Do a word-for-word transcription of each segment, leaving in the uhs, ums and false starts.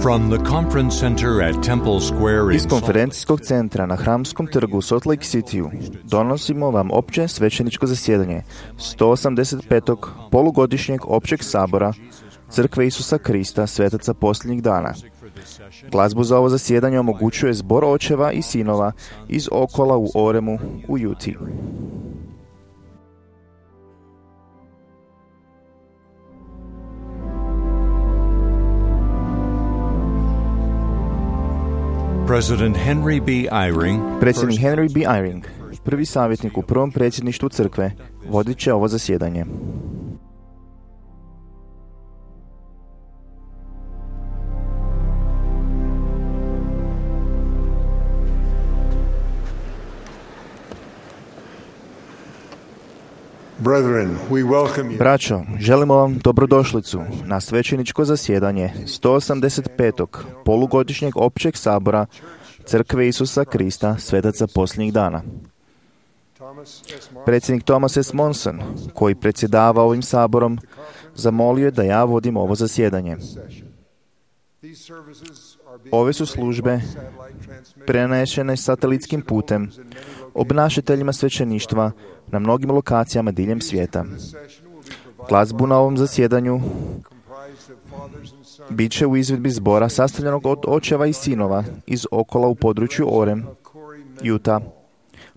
From the conference center at Temple Square in Iz konferencijskog centra na Hramskom trgu u Salt Lake Cityu donosimo vam opće svećeničko zasjedanje sto osamdeset petog polugodišnjeg općeg sabora Crkve Isusa Krista svetaca posljednjih dana. Glazbu za ovo zasjedanje omogućuje zbor očeva i sinova iz Okola u Oremu u Utah. President Henry B. Eyring, Predsjednik Henry B. Eyring, prvi savjetnik u prvom predsjedništvu crkve, vodit će ovo zasjedanje. Braćo, želimo vam dobrodošlicu na svećeničko zasjedanje sto osamdeset petog polugodišnjeg općeg sabora Crkve Isusa Krista svetaca posljednjih dana. Predsjednik Thomas S. Monson, koji predsjedava ovim saborom, zamolio je da ja vodim ovo zasjedanje. Ove su službe prenešene satelitskim putem obnašateljima svećeništva na mnogim lokacijama diljem svijeta. Glazbu na ovom zasjedanju bit će u izvedbi zbora sastavljenog od očeva i sinova iz Okola u području Orem, Utah,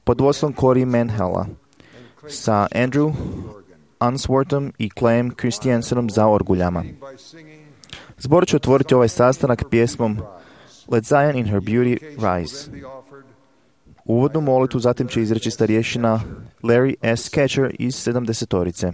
pod vodstvom Corey Manhella, sa Andrew Unsworthom i Clayem Christiansenom za orguljama. Zbor će otvoriti ovaj sastanak pjesmom Let Zion in her beauty rise. Uvodnu molitvu zatim će izreći starješina Larry S. Catcher iz sedamdesetorice.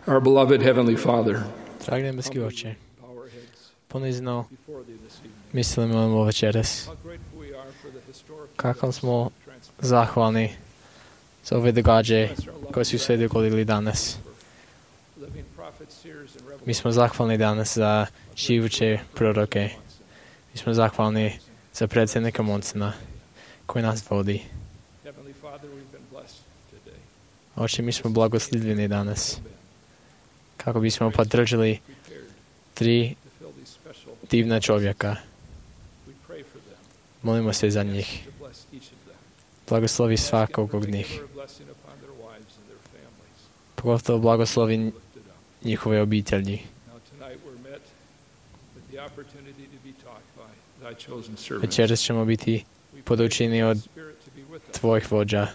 Our beloved Heavenly Father, dragi nebeski Oče, ponizno mislimo ovo večeras. Kako smo zahvalni za ove događaje koje su se dogodili danas. Mi smo zahvalni danas za živuće proroke. Mi smo zahvalni za predsjednika Monsona koji nas vodi. Oče, mi smo blagoslivljeni danas kako bismo podržali tri divna čovjeka. Molimo se za njih. Blagoslovi svakog od njih. Pogotovo blagoslovi njihove obitelji. Večeras ćemo biti podučeni od tvojih vođa.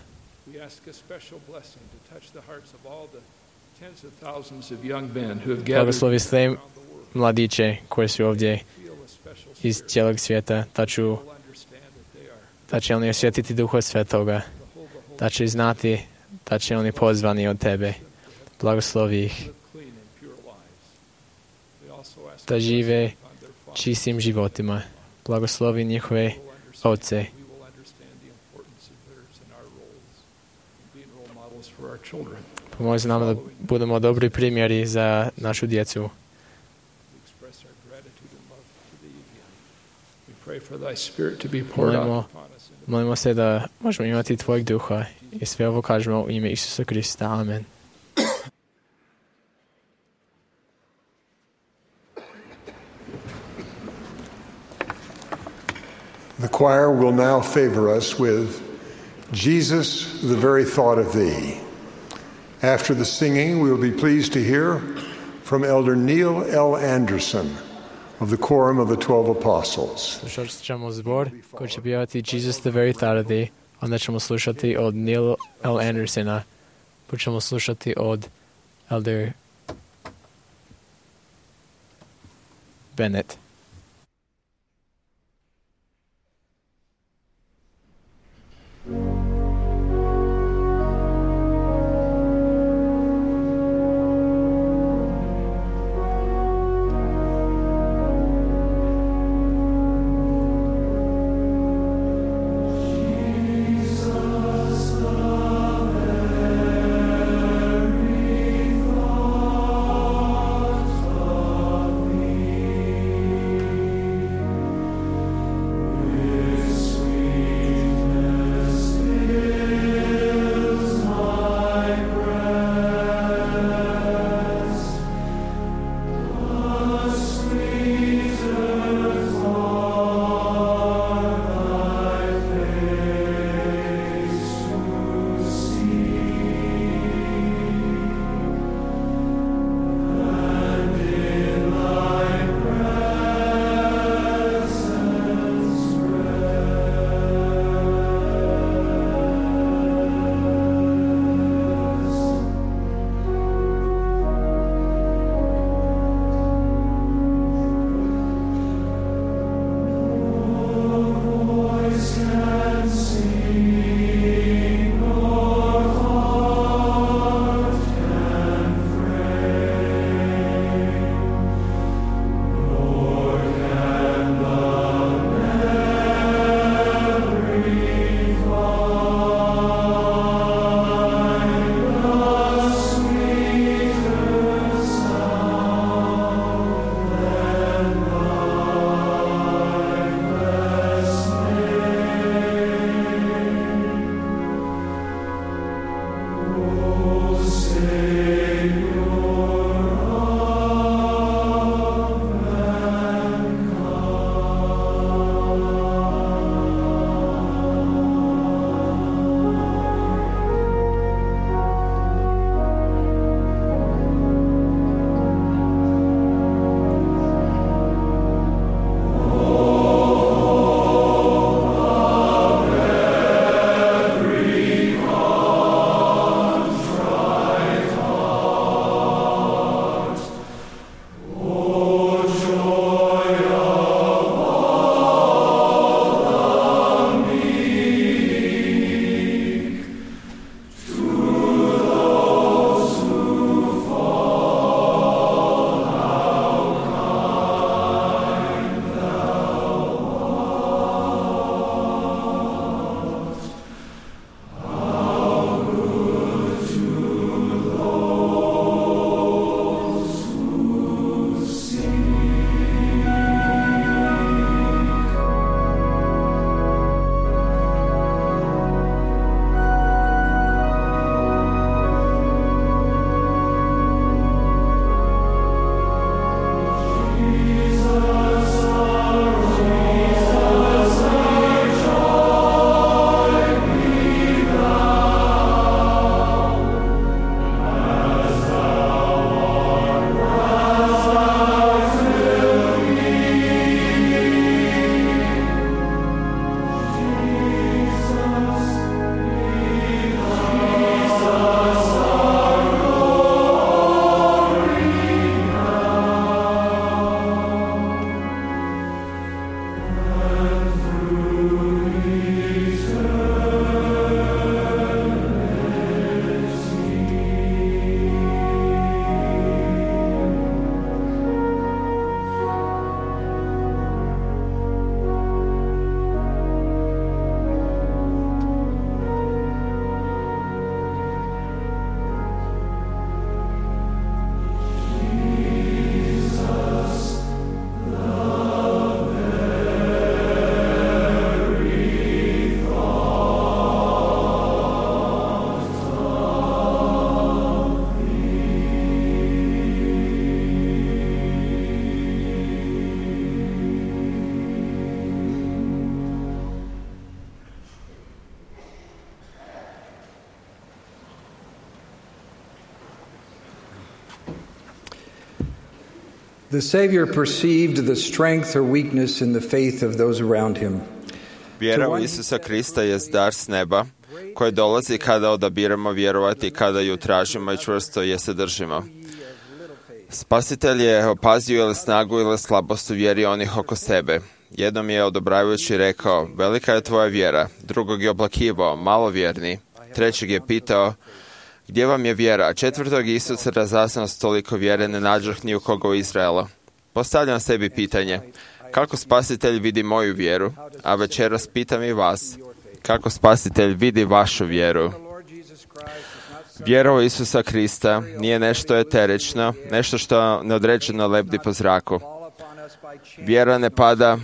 Blagoslovi sve mladiće koji su ovdje iz cijelog svijeta, da, ću, da će oni osjetiti Duha Svetoga, da će znati da će oni pozvani od tebe. Blagoslovi ih da žive čistim životima. Blagoslovi njihove oce. Pomozi nam da budemo dobri primjeri za našu djecu. Molimo, molimo se da možemo imati tvojeg duha i sve ovo kažemo u ime Isusa Krista. Amen. The choir will now favor us with Jesus, the very thought of thee. After the singing, we will be pleased to hear from Elder Neil L. Anderson of the Quorum of the Twelve Apostles. Slušat ćemo zbor koji će pjevati Jesus, the very thought of thee. Onda ćemo slušati od Neil L. Andersona. Pa ćemo slušati od Elder Bennett. Thee. The Savior perceived the strength or weakness in the faith of those around him. Vjera u Isusa Krista je dar s neba, koji dolazi kada odabiramo vjerovati, kada ju tražimo i čvrsto je se držimo. Spasitelj je opazio ili snagu ili slabost u vjeri onih oko sebe. Jednom je odobravajući rekao, velika je tvoja vjera. Drugog je oplakivao, malo vjerni. Trećeg je pitao, gdje vam je vjera? Četvrtog Isus razaznao s toliko vjere ne nađoh ni u koga u Izraela. Postavljam sebi pitanje, kako Spasitelj vidi moju vjeru, a večeras pitam i vas, kako Spasitelj vidi vašu vjeru. Vjera u Isusa Krista nije nešto eterično, nešto što neodređeno lebdi po zraku. Vjera ne pada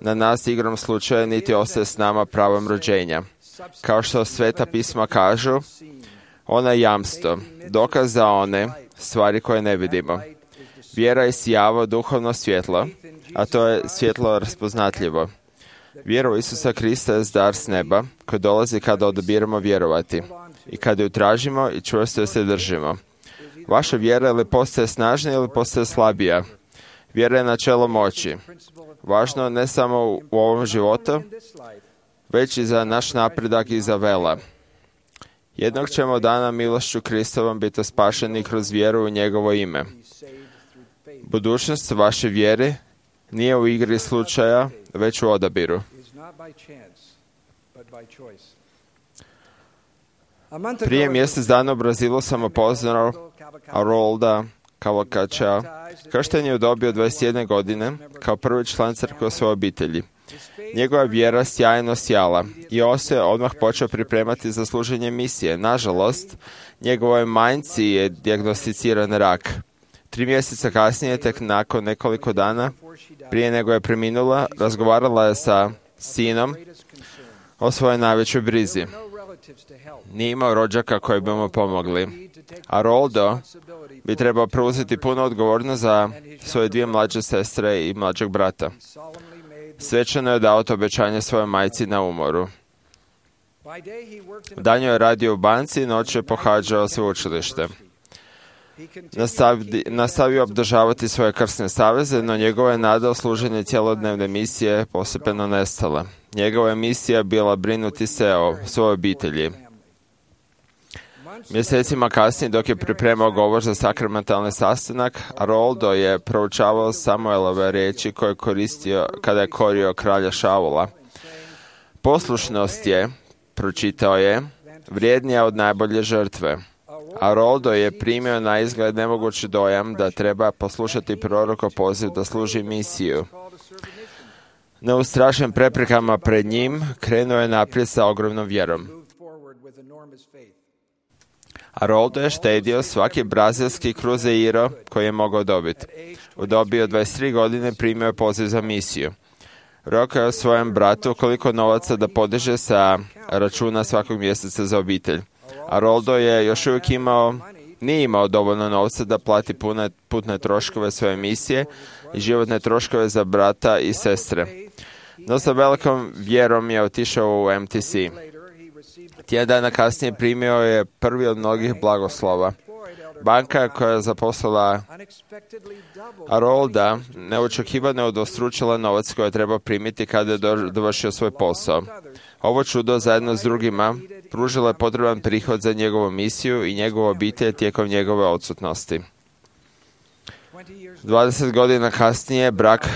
na nas igrom slučaja, niti ostaje s nama pravom rođenja. Kao što Sveta pisma kažu, ona je jamstvo, dokaz za one stvari koje ne vidimo. Vjera je sjavo duhovno svjetlo, a to je svjetlo raspoznatljivo. Vjera u Isusa Krista je dar s neba, koji dolazi kada odabiramo vjerovati i kada ju tražimo i čvrsto ju se držimo. Vaša vjera ili postaje snažnija ili postaje slabija. Vjera je načelo moći. Važno ne samo u ovom životu, već i za naš napredak i za vela. Jednog ćemo dana milošću Kristovom biti spašeni kroz vjeru u njegovo ime. Budućnost vaše vjere nije u igri slučaja, već u odabiru. Prije mjesec dana u Brazilu sam upoznao Harolda Cavalcantea. Kršten je u dobi od dvadeset jedne godine kao prvi član crkve u svojoj obitelji. Njegova vjera sjajno sjala i on se odmah počeo pripremati za služenje misije. Nažalost, njegovoj majci je dijagnosticiran rak. Tri mjeseca kasnije, tek nakon nekoliko dana, prije nego je preminula, razgovarala je sa sinom o svojoj najvećoj brizi. Nije imao rođaka koji bi mu pomogli. A Roldo bi trebao preuzeti puno odgovornost za svoje dvije mlađe sestre i mlađeg brata. Svečano je dao to obećanje svojoj majci na umoru. Danju je radio u banci, noć je pohađao sveučilište. Nastavi, nastavio obdržavati svoje krsne saveze, no njegova je nada o služenju cjelodnevne misije postepeno nestala. Njegova je misija bila brinuti se o svojoj obitelji. Mjesecima kasnije, dok je pripremao govor za sakramentalni sastanak, Roldo je proučavao Samuelove riječi koje je koristio kada je korio kralja Šaula. Poslušnost je, pročitao je, vrijednija od najbolje žrtve. A Roldo je primio na izgled nemogući dojam da treba poslušati prorokov poziv da služi misiju. Neustrašen preprekama pred njim, krenuo je naprijed sa ogromnom vjerom. A Roldo je štedio svaki brazilski kruzeiro koji je mogao dobiti. U dobi od dvadeset tri godine primio je poziv za misiju. Rekao je svojem bratu koliko novaca da podiže sa računa svakog mjeseca za obitelj. A Roldo je još uvijek imao, nije imao dovoljno novca da plati pune, putne troškove svoje misije i životne troškove za brata i sestre. No sa velikom vjerom je otišao u M T C. Tjedan dana kasnije primio je prvi od mnogih blagoslova. Banka koja je zaposlila Harolda neočekivano udvostručila novac koji je trebao primiti kada je dovršio svoj posao. Ovo čudo zajedno s drugima pružilo je potreban prihod za njegovu misiju i njegovu obitelj tijekom njegove odsutnosti. dvadeset godina kasnije brak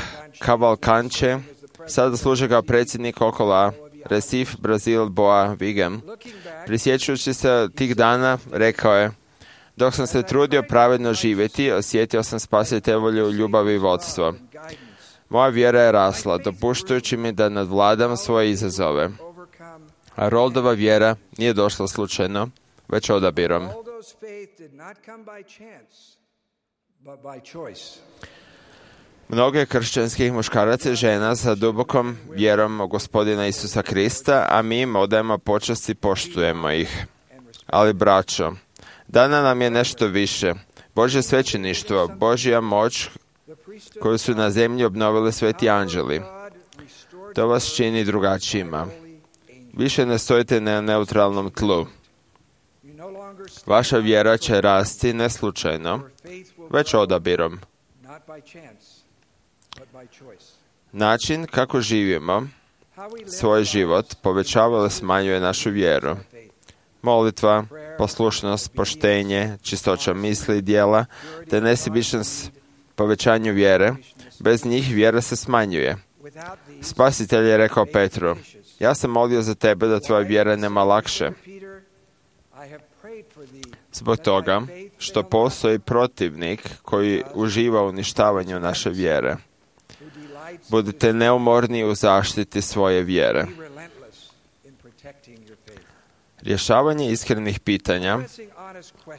Cavalcantea sada služi kao predsjednik okola Recife, Brazil, Boa, Vigam. Prisjećujući se tih dana, rekao je, dok sam se trudio pravedno živjeti, osjetio sam spasitelju ljubav i vodstvo. Moja vjera je rasla, dopuštajući mi da nadvladam svoje izazove. A Roldova vjera nije došla slučajno, već odabirom. Mnogo kršćanskih muškaraca i žena sa dubokom vjerom u Gospodina Isusa Krista, a mi im odajemo počast i poštujemo ih. Ali, braćo, dana nam je nešto više. Božje svećeništvo, Božja moć koju su na zemlji obnovili sveti anđeli. To vas čini drugačijima. Više ne stojite na neutralnom tlu. Vaša vjera će rasti ne slučajno, već odabirom. Način kako živimo svoj život povećava ili smanjuje našu vjeru. Molitva, poslušnost, poštenje, čistoća misli i djela, te nesebičnost povećanju vjere, bez njih vjera se smanjuje. Spasitelj je rekao Petru, ja sam molio za tebe da tvoja vjera nema lakše. Zbog toga što postoji protivnik koji uživa u uništavanju naše vjere. Budite neumorni u zaštiti svoje vjere. Rješavanje iskrenih pitanja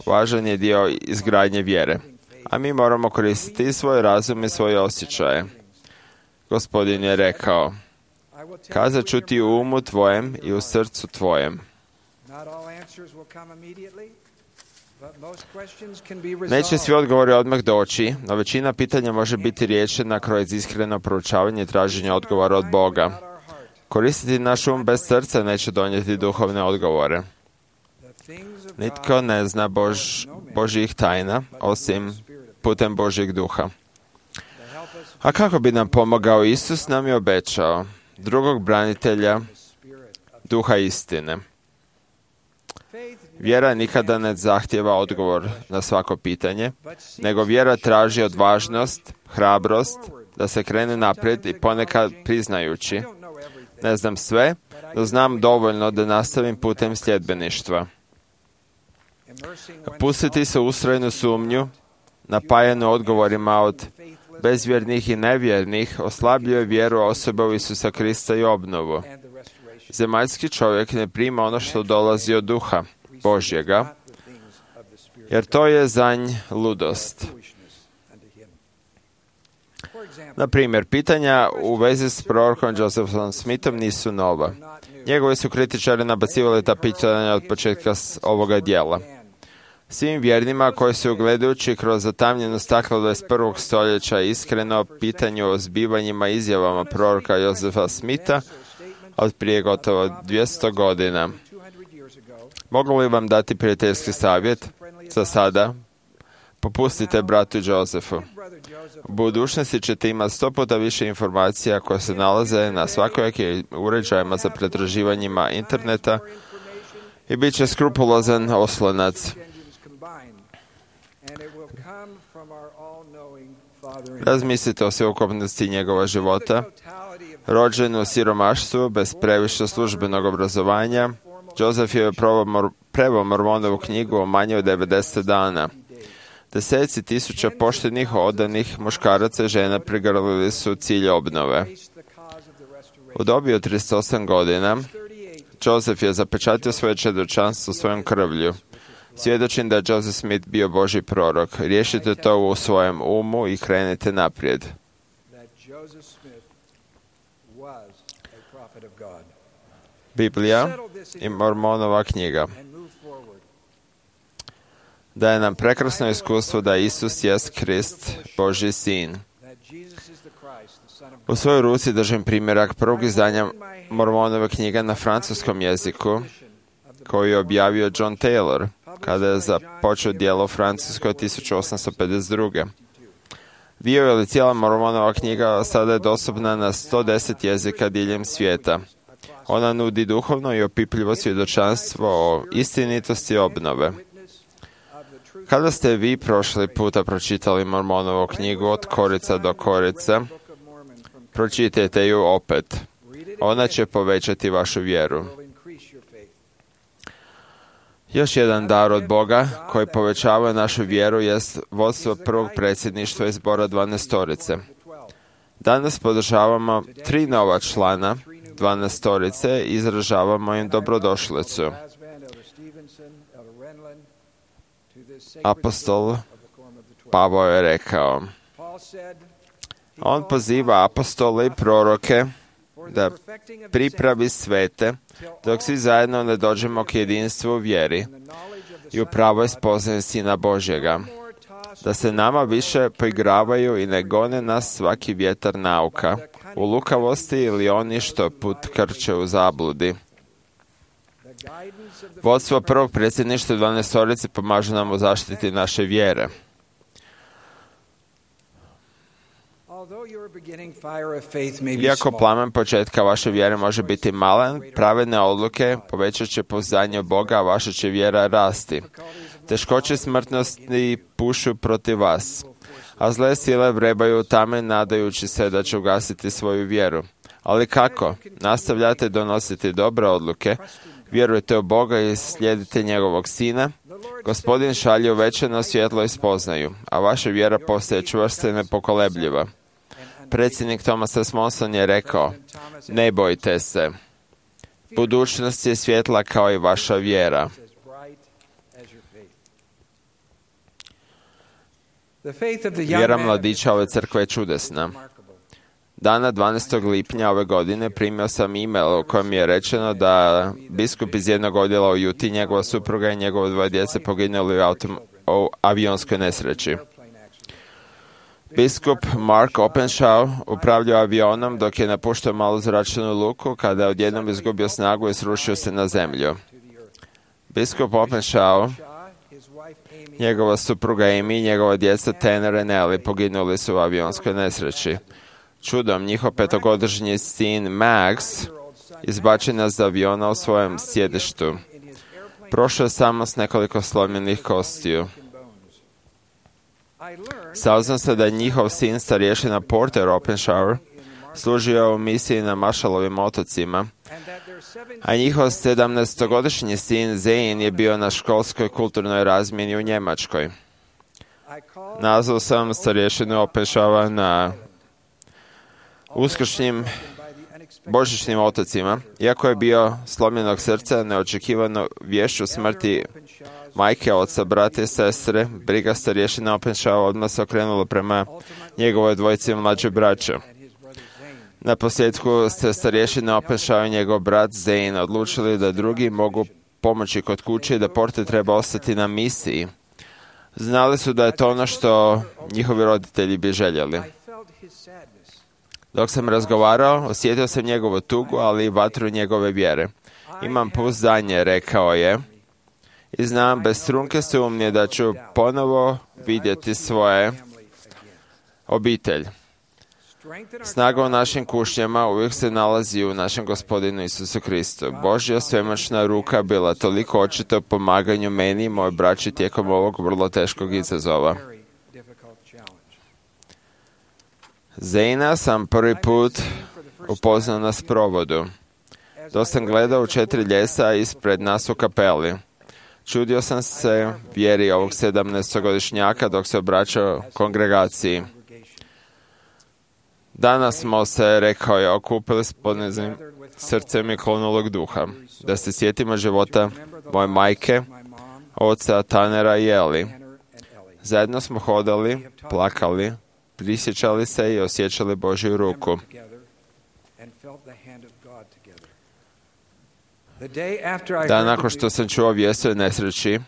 važan je dio izgradnje vjere, a mi moramo koristiti svoj razum i svoje osjećaje. Gospodin je rekao, kazat ću ti u umu tvojem i u srcu tvojem. Neće svi odgovori odmah doći, no većina pitanja može biti riješena kroz iskreno proučavanje i traženje odgovora od Boga. Koristiti naš um bez srca neće donijeti duhovne odgovore. Nitko ne zna Bož, Božjih tajna, osim putem Božjeg duha. A kako bi nam pomogao Isus, nam je obećao drugog branitelja, duha istine. Vjera nikada ne zahtijeva odgovor na svako pitanje, nego vjera traži odvažnost, hrabrost, da se krene naprijed i ponekad priznajući, ne znam sve, no znam dovoljno da nastavim putem sljedbeništva. Pustiti se u ustrajnu sumnju, napajanu odgovorima od bezvjernih i nevjernih, oslabljuje vjeru osobe u Isusa Krista i obnovu. Zemaljski čovjek ne prima ono što dolazi od duha Božjega, jer to je za nj ludost. Na primjer, pitanja u vezi s prorokom Josephom Smithom nisu nova. Njegovi su kritičari nabacivali ta pitanja od početka ovoga dijela. Svim vjernima koji su gledajući kroz zatamnjeno staklo dvadeset prvog stoljeća iskreno pitanju o zbivanjima i izjavama proroka Josefa Smitha od prije gotovo dvjesto godina. Mogu li vam dati prijateljski savjet? Za sada, popustite bratu Josefu. U budućnosti ćete imati sto puta više informacija koje se nalaze na svakojakim uređajima za pretraživanjima interneta i bit će skrupulozan oslonac. Razmislite o sveukupnosti njegova života. Rođen u siromaštvu, bez previše službenog obrazovanja, Joseph je preveo Mormonovu knjigu o manje od devedeset dana. Deseci tisuća poštenih, odanih muškaraca i žena prigrlili su cilj obnove. U dobi od trideset osam godina, Joseph je zapečatio svoje čedočanstvo svojom krvlju. Svjedočim da je Joseph Smith bio Božji prorok. Riješite to u svojem umu i krenite naprijed. Biblija i Mormonova knjiga daje nam prekrasno iskustvo da Isus jest Krist, Božji sin. U svojoj ruci držim primjerak prvog izdanja Mormonove knjige na francuskom jeziku, koji je objavio John Taylor, kada je započeo djelo u Francuskoj tisuću osamsto pedeset druge. Dio ili cijela Mormonova knjiga sada je dostupna na sto deset jezika diljem svijeta. Ona nudi duhovno i opipljivo svjedočanstvo o istinitosti obnove. Kada ste vi prošli puta pročitali Mormonovu knjigu od korica do korica, pročitajte ju opet. Ona će povećati vašu vjeru. Još jedan dar od Boga koji povećava našu vjeru jest vodstvo prvog predsjedništva iz zbora dvanaestorice. Danas podržavamo tri nova člana dvanaestorice i izražavamo im dobrodošlicu. Apostol Pavao je rekao, on poziva apostole i proroke da pripravi svete dok svi zajedno ne dođemo k jedinstvu u vjeri i u pravoj spoznaji Sina Božjega, da se nama više poigravaju i ne gone nas svaki vjetar nauka, u lukavosti ili oni što put krče u zabludi. Vodstvo prvog predsjedništva dvanaestorice pomaže nam u zaštiti naše vjere. Iako plamen početka vaše vjere može biti malen, pravedne odluke povećat će pouzdanje u Boga, a vaša će vjera rasti. Teškoće smrtnosti pušu protiv vas, a zle sile vrebaju tame nadajući se da će ugasiti svoju vjeru. Ali kako? Nastavljate donositi dobre odluke, vjerujte u Boga i slijedite njegovog Sina. Gospodin šalje uvečeno svjetlo i spoznaju, a vaša vjera postaje čvrsta i nepokolebljiva. Predsjednik Thomas S. Monson je rekao, ne bojte se. Budućnost je svjetla kao i vaša vjera. Vjera mladića ove crkve je čudesna. Dana dvanaestog lipnja ove godine primio sam e-mail u kojem je rečeno da biskup iz jednog odjela u Juti, njegova supruga i njegovo dvoje djece poginuli u, autom, u avionskoj nesreći. Biskup Mark Openshaw upravljao avionom dok je napuštao malu zračnu luku kada je odjednom izgubio snagu i srušio se na zemlju. Biskup Openshaw, njegova supruga Amy i njegova djeca Tanner i Nelly poginuli su u avionskoj nesreći. Čudom, njihov petogodišnji sin Max izbačen je iz aviona u svojem sjedištu. Prošao je samo s nekoliko slomljenih kostiju. Saznao se da je njihov sin starješina Porter Openshaw služio u misiji na Marshallovim otocima, a njihov sedamnaestogodišnji sin Zane je bio na školskoj kulturnoj razmjeni u Njemačkoj. Nazvao sam starješinu Openshawa na uskršnjim božićnim otocima. Iako je bio slomljenog srca, neočekivano vješću smrti majke, oca, brata i sestre, briga starješina Openshaw odmah se okrenula prema njegovoj dvojici mlađe braće. Na posljedku ste starješina Openshaw i njegov brat Zane odlučili da drugi mogu pomoći kod kuće i da Porter treba ostati na misiji. Znali su da je to ono što njihovi roditelji bi željeli. Dok sam razgovarao, osjetio sam njegovu tugu, ali i vatru njegove vjere. Imam pouzdanje, rekao je, i znam bez trunke sumnje da ću ponovo vidjeti svoje obitelj. Snaga u našim kušnjama uvijek se nalazi u našem Gospodinu Isusu Kristu. Božja svemoćna ruka bila toliko očita u pomaganju meni i mojoj braći tijekom ovog vrlo teškog izazova. Zejna sam prvi put upoznao na sprovodu. Dok sam gledao u četiri ljesa ispred nas u kapeli. Čudio sam se vjeri ovog sedamnaestogodišnjaka dok se obraćao kongregaciji. Danas smo se, rekao je, okupili s poniznim srcem i klonulog duha, da se sjetimo života moje majke, oca Tanera i Eli. Zajedno smo hodali, plakali, prisjećali se i osjećali Božju ruku. Dan nakon što sam čuo vijest o nesreći,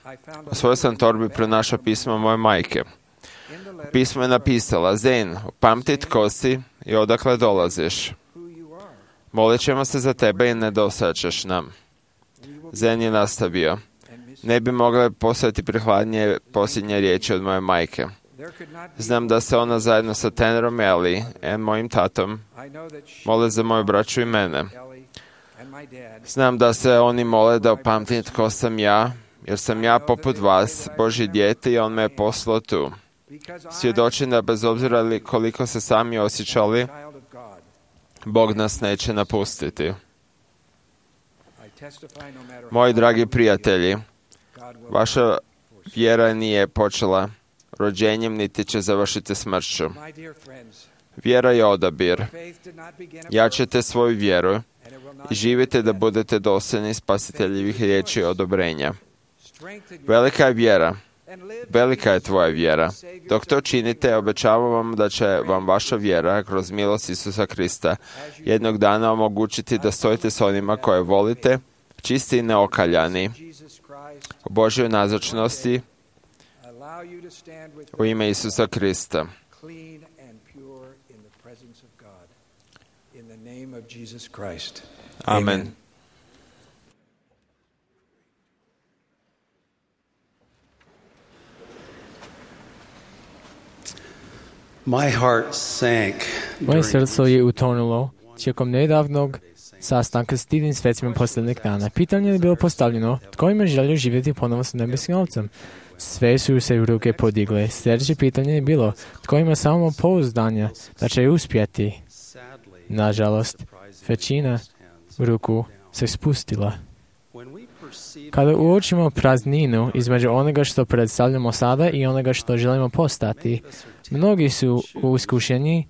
u svojoj sam torbi pronašao pismo moje majke. Pismo je napisala, Zen, pamti tko si i odakle dolaziš. Molit ćemo se za tebe i ne dosačeš nam. Zen je nastavio. Ne bi mogle postojati prihladnije posljednje riječi od moje majke. Znam da se ona zajedno sa Tannerom Eli i mojim tatom mole za moju braću i mene. Znam da se oni mole da upamtim tko sam ja, jer sam ja poput vas, Božje dijete, i on me je poslao tu. Svjedočim da bez obzira li koliko se sami osjećali, Bog nas neće napustiti. Moji dragi prijatelji, vaša vjera nije počela rođenjem, niti će završiti smrću. Vjera je odabir. Jačajte svoju vjeru i živite da budete dosljedni spasiteljevih riječi odobrenja. Velika je vjera. Velika je tvoja vjera. Dok to činite, obećavam vam da će vam vaša vjera, kroz milost Isusa Krista, jednog dana omogućiti da stojite s onima koje volite, čisti i neokaljani, u Božjoj nazočnosti, u ime Isusa Krista. Amen. Moje srce je utonulo tijekom nedavnog sastanka s divnim svecima posljednjeg dana. Pitanje je bilo postavljeno, tko ima želju živjeti ponovo s nebeskim Ocem? Sve su se ruke podigle. Sljedeće pitanje je bilo, tko ima samo pouzdanja da će uspjeti? Nažalost, većina ruku se spustila. Kada uočimo prazninu između onoga što predstavljamo sada i onoga što želimo postati, mnogi su u iskušenji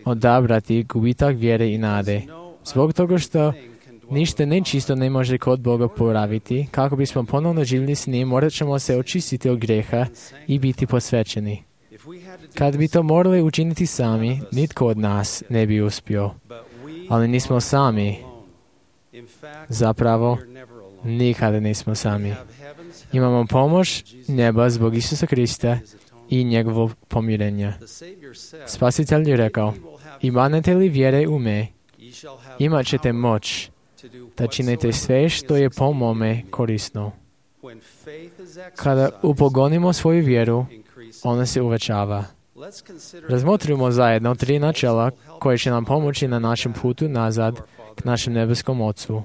odabrati gubitak vjere i nade. Zbog toga što ništa nečisto ne može kod Boga poraviti, kako bismo ponovno živjeli s njim, morat ćemo se očistiti od grijeha i biti posvećeni. Kad bi to morali učiniti sami, nitko od nas ne bi uspio. Ali nismo sami. Zapravo, nikada nismo sami. Imamo pomoć neba zbog Isusa Krista i njegovog pomirenja. Spasitelj je rekao, imanete li vjere u me, imat ćete moć da činite sve što je po mome korisno. Kada upogonimo svoju vjeru, ona se uvećava. Razmotrimo zajedno tri načela koje će nam pomoći na našem putu nazad k našem nebeskom Ocu.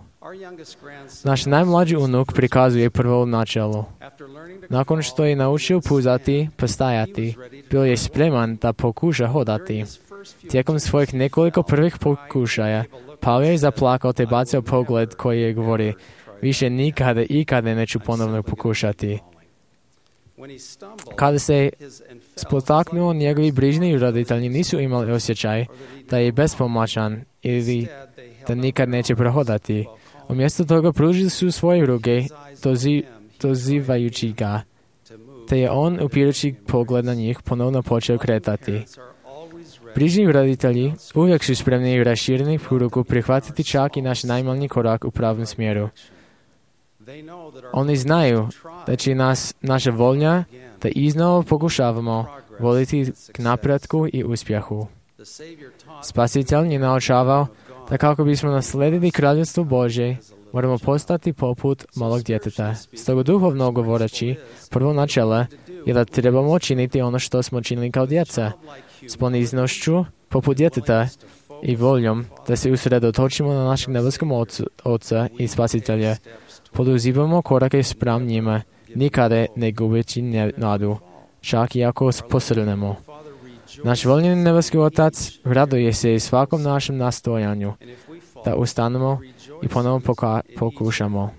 Naš najmlađi unuk prikazuje prvo načelo. Nakon što je naučio puzati, postajati, bio je spreman da pokuša hodati. Tijekom svojih nekoliko prvih pokušaja, Pavle je zaplakao te bacio pogled koji je govori, više nikada, ikada neću ponovno pokušati. Kada se spotaknuo, njegovi brižni roditelji nisu imali osjećaj da je bespomoćan ili da nikad neće prohodati. Umjesto toga pružili su svoje ruke, dozi, dozivajući ga, te je on, upirući pogled na njih, ponovno počeo kretati. Brižni roditelji uvijek su spremni i rašireni ruku prihvatiti čak i naš najmanji korak u pravom smjeru. Oni znaju da će nas naša volja da iznova pokušavamo voliti k napretku i uspjehu. Spasitelj je naučavao da kako bismo nasledili kraljevstvo Božje, moramo postati poput malog djeteta. Stoga duhovno govoreći, prvo načelo je da trebamo činiti ono što smo činili kao djeca, s poniznošću poput djeteta i voljom da se usredotočimo na našeg nebeskog Oca i Spasitelja. Poduzimamo korake spram njima, nikada ne gubeći nadu, čak i ako posrnemo. Naš voljeni nebeski Otac raduje se i svakom našem nastojanju da ustanemo i ponovno poka- pokušamo.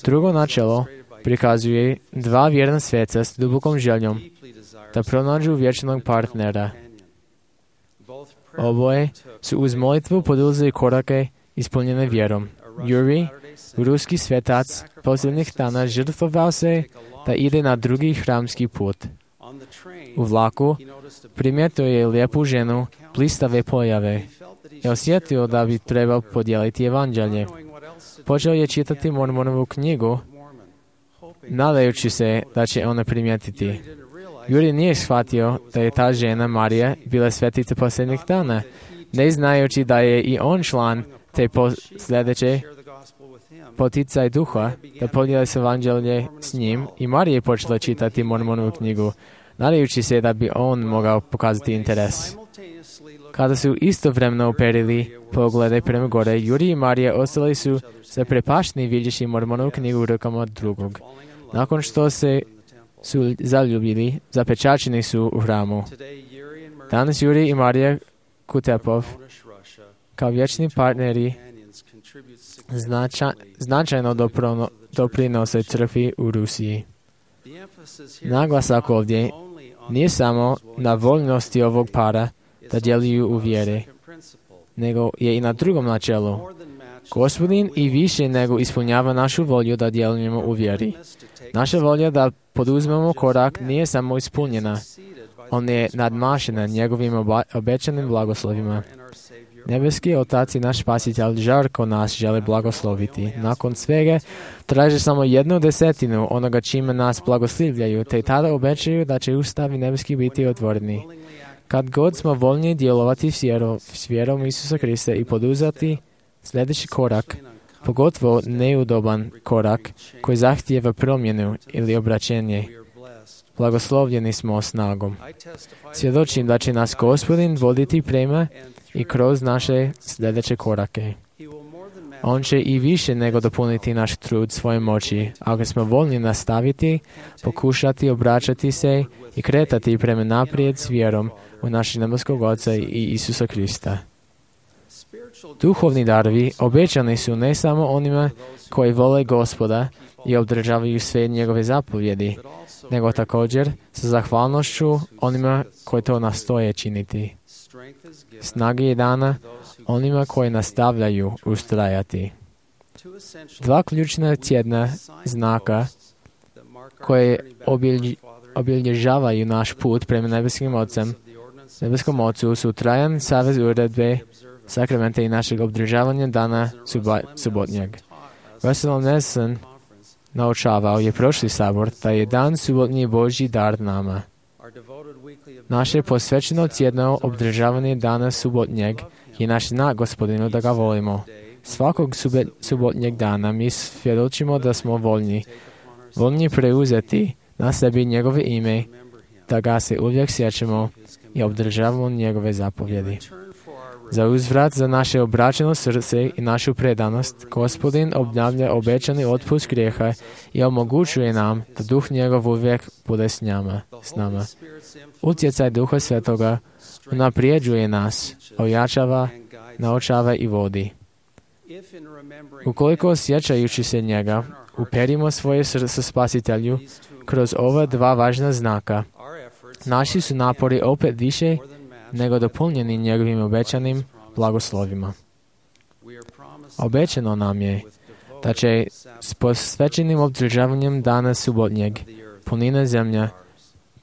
Drugo načelo prikazuje dva vjerna sveca s dubokom željom da pronađu vječnog partnera. Oboje su uz molitvu poduzeli korake ispunjene vjerom. Juri, ruski svetac, posljednjih dana žrtvovao se da ide na drugi hramski put. U vlaku primijetio je lijepu ženu, blistave pojave i osjetio da bi trebao podijeliti evanđelje. Počeo je čitati Mormonovu knjigu, nadajući se da će ona primijetiti. Juri nije shvatio da je ta žena Marija bila svetica posljednjih dana, ne znajući da je i on član te sljedeće poticaj duha da podijeli se evanđelje s njim i Marija je počela čitati Mormonovu knjigu, nadajući se da bi on mogao pokazati interes. Kada su istovremeno uperili poglede prema gore, Juri i Marija ostali su zaprepašteni vidjevši Mormonovu knjigu u rukama drugog. Nakon što se su zaljubili, zapečačeni su u hramu. Danas Juri i Marija Kutepov kao vječni partneri značaj, značajno doprono, doprinose crkvi u Rusiji. Naglasak ovdje nije samo na voljnosti ovog para da djeluju u vjere, nego je i na drugom načelu. Gospodin i više nego ispunjava našu volju da djelujemo u vjeri. Naša volja da poduzmemo korak nije samo ispunjena, on je nadmašena njegovim oba, obećanim blagoslovima. Nebeski Otac i naš Spasitelj žarko nas žele blagosloviti. Nakon svega traže samo jednu desetinu onoga čime nas blagoslivljaju, te tada obećaju da će ustavi nebeski biti otvoreni. Kad god smo voljni djelovati s vjerom, s vjerom Isusa Krista i poduzeti sljedeći korak, pogotovo neudoban korak koji zahtijeva promjenu ili obraćenje, Blagoslovljeni smo snagom. Svjedočim da će nas Gospodin voditi prema i kroz naše sljedeće korake. On će i više nego dopuniti naš trud svoje moći, ako smo voljni nastaviti, pokušati obraćati se i kretati prema naprijed s vjerom u našeg nebeskog Oca i Isusa Krista. Duhovni darovi obećani su ne samo onima koji vole Gospoda i obdržavaju sve njegove zapovjedi, nego također sa zahvalnošću onima koji to nastoje činiti. Snaga je dana onima koji nastavljaju ustrajati. Dva ključna tjedna znaka koje obilj, obilježavaju naš put prema nebeskim Otcem, nebeskom Ocu su trajan savez uredbe, sakramenta i našeg obdržavanja dana suba, subotnjeg. Russell Nelson naučavao je prošli sabor da je dan subotnji Božji dar nama. Naše posvećeno tjedno obdržavanje dana subotnjeg je naš znak Gospodinu da ga volimo. Svakog sube, subotnjeg dana mi svjedočimo da smo voljni, voljni preuzeti na sebi njegove ime, da ga se uvijek sjećamo i obdržavamo njegove zapovjedi. Za uzvrat za naše obraćeno srce i našu predanost, Gospodin obnavlja obećani otpust grijeha i omogućuje nam da Duh njegov uvijek bude s nama. S nama. Utjecaj Duha Svetoga unaprijeđuje nas, ojačava, naučava i vodi. Ukoliko osjećajući se njega, uperimo svoje srce Spasitelju kroz ova dva važna znaka, naši su napori opet više nego dopunjeni njegovim obećanim blagoslovima. Obećano nam je da će s posvećenim obdržavanjem dana subotnjeg punina zemlja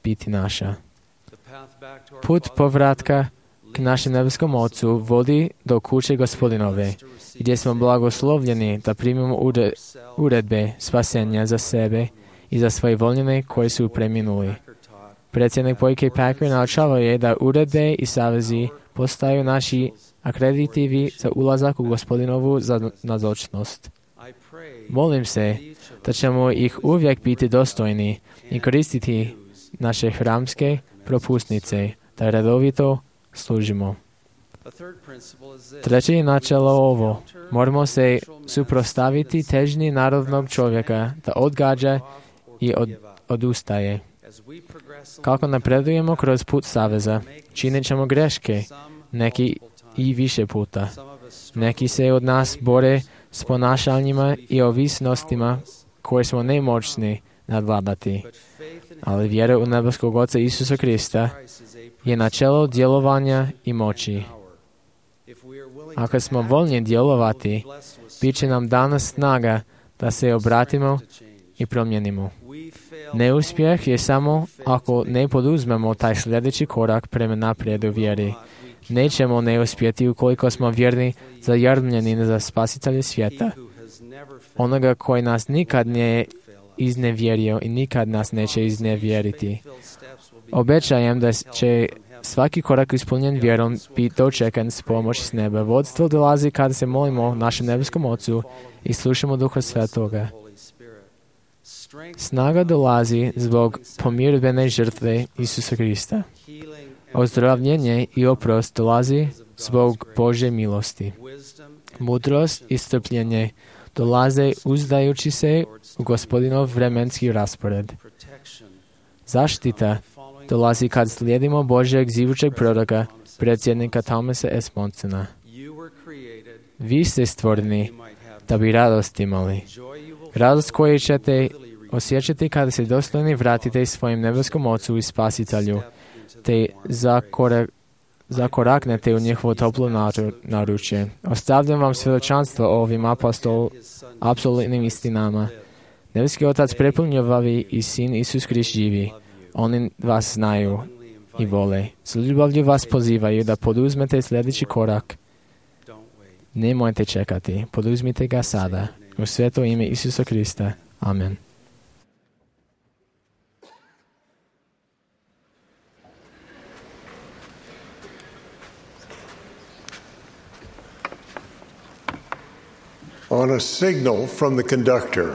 biti naša. Put povratka k našem nebeskom Ocu vodi do kuće Gospodinove, gdje smo blagoslovljeni da primimo uredbe spasenja za sebe i za svoje voljene koji su preminuli. Predsjednik Boyke Packer naučavao je da uredbe i savezi postaju naši akreditivi za ulazak u Gospodinovu nazočnost. Molim se da ćemo ih uvijek biti dostojni i koristiti naše hramske propusnice, da redovito služimo. Treće je načelo ovo. Moramo se suprotstaviti težnji narodnog čovjeka da odgađa i od, odustaje. Kako napredujemo kroz put saveza, činit ćemo greške, neki i više puta. Neki se od nas bore s ponašanjima i ovisnostima koje smo nemoćni nadvladati. Ali vjera u nebeskog Oca Isusa Krista je načelo djelovanja i moći. Ako smo voljni djelovati, bit će nam dana snaga da se obratimo i promijenimo. Neuspjeh je samo ako ne poduzmemo taj sljedeći korak prema naprijed u vjeri. Nećemo neuspjeti ukoliko smo vjerni zajarmljeni za Spasitelja svijeta, onoga koji nas nikad nije iznevjerio i nikad nas neće iznevjeriti. Obećajem da će svaki korak ispunjen vjerom biti dočekan s pomoći s neba. Vodstvo dolazi kada se molimo našem nebeskom Ocu i slušamo Duha Svetoga. Snaga dolazi zbog pomirbene žrtve Isusa Krista. Ozdravljenje i oprost dolazi zbog Božje milosti. Mudrost i strpljenje dolaze uzdajući se u Gospodinov vremenski raspored. Zaštita dolazi kad slijedimo Božjeg živućeg proroka, predsjednika Thomasa S. Monsona. Vi ste stvoreni da bi radost imali. Radost koju ćete osjećati kada se dostojni vratite svojim nebeskom Ocu i Spasitelju, te zakorak, zakoraknete u njihovo toplo naručje. Ostavljam vam svjedočanstvo o ovim apostol, apsolutnim istinama. Nebeski Otac prepunjovavi i Sin Isus Krist živi. Oni vas znaju i vole. S ljubavlju vas pozivaju da poduzmete sljedeći korak. Nemojte čekati, poduzmite ga sada. U sveto ime Isusa Krista. Amen. On a signal from the conductor,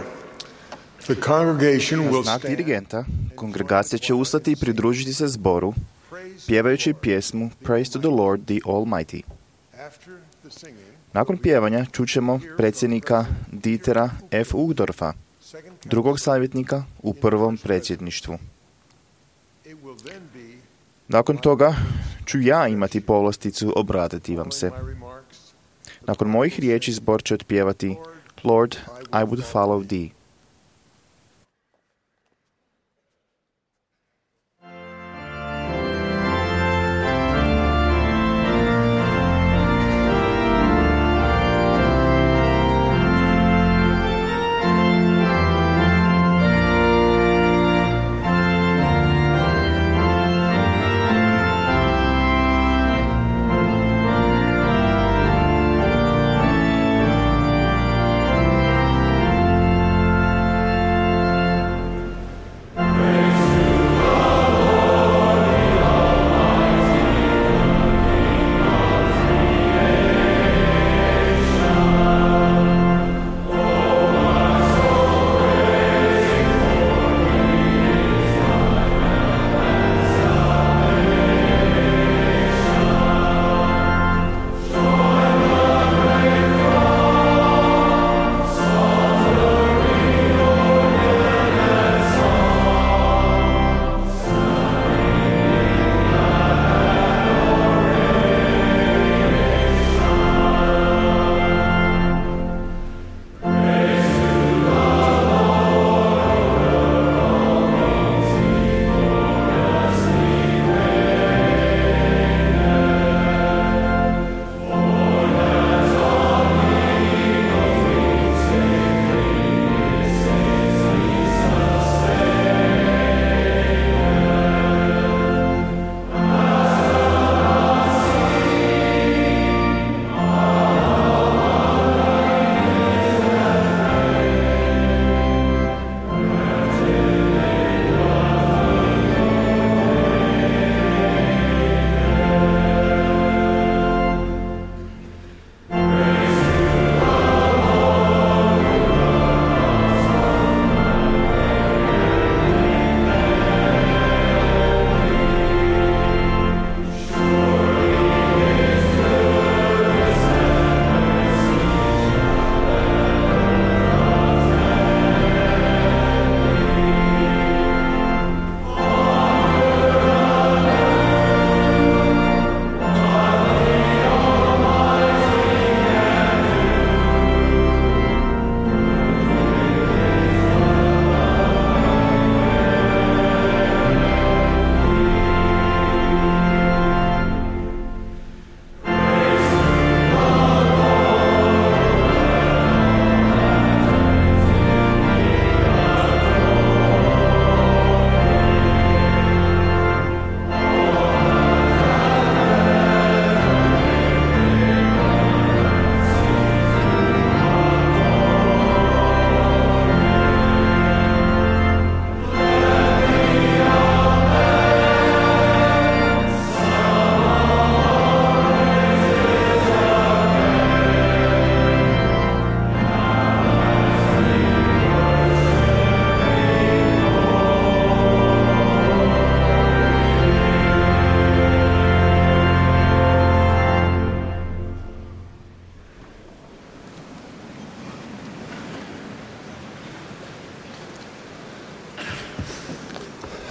The congregation Na will znak stand dirigenta, kongregacija će ustati i pridružiti se zboru, pjevajući pjesmu Praise to the Lord, the Almighty. after the singing. Nakon pjevanja čućemo predsjednika Dietera F. Uchtdorfa, drugog savjetnika u prvom predsjedništvu. It will then be Nakon toga ću ja imati povlasticu obratiti vam se. my remarks. Nakon mojih riječi zbor će otpjevati Lord, I would follow thee.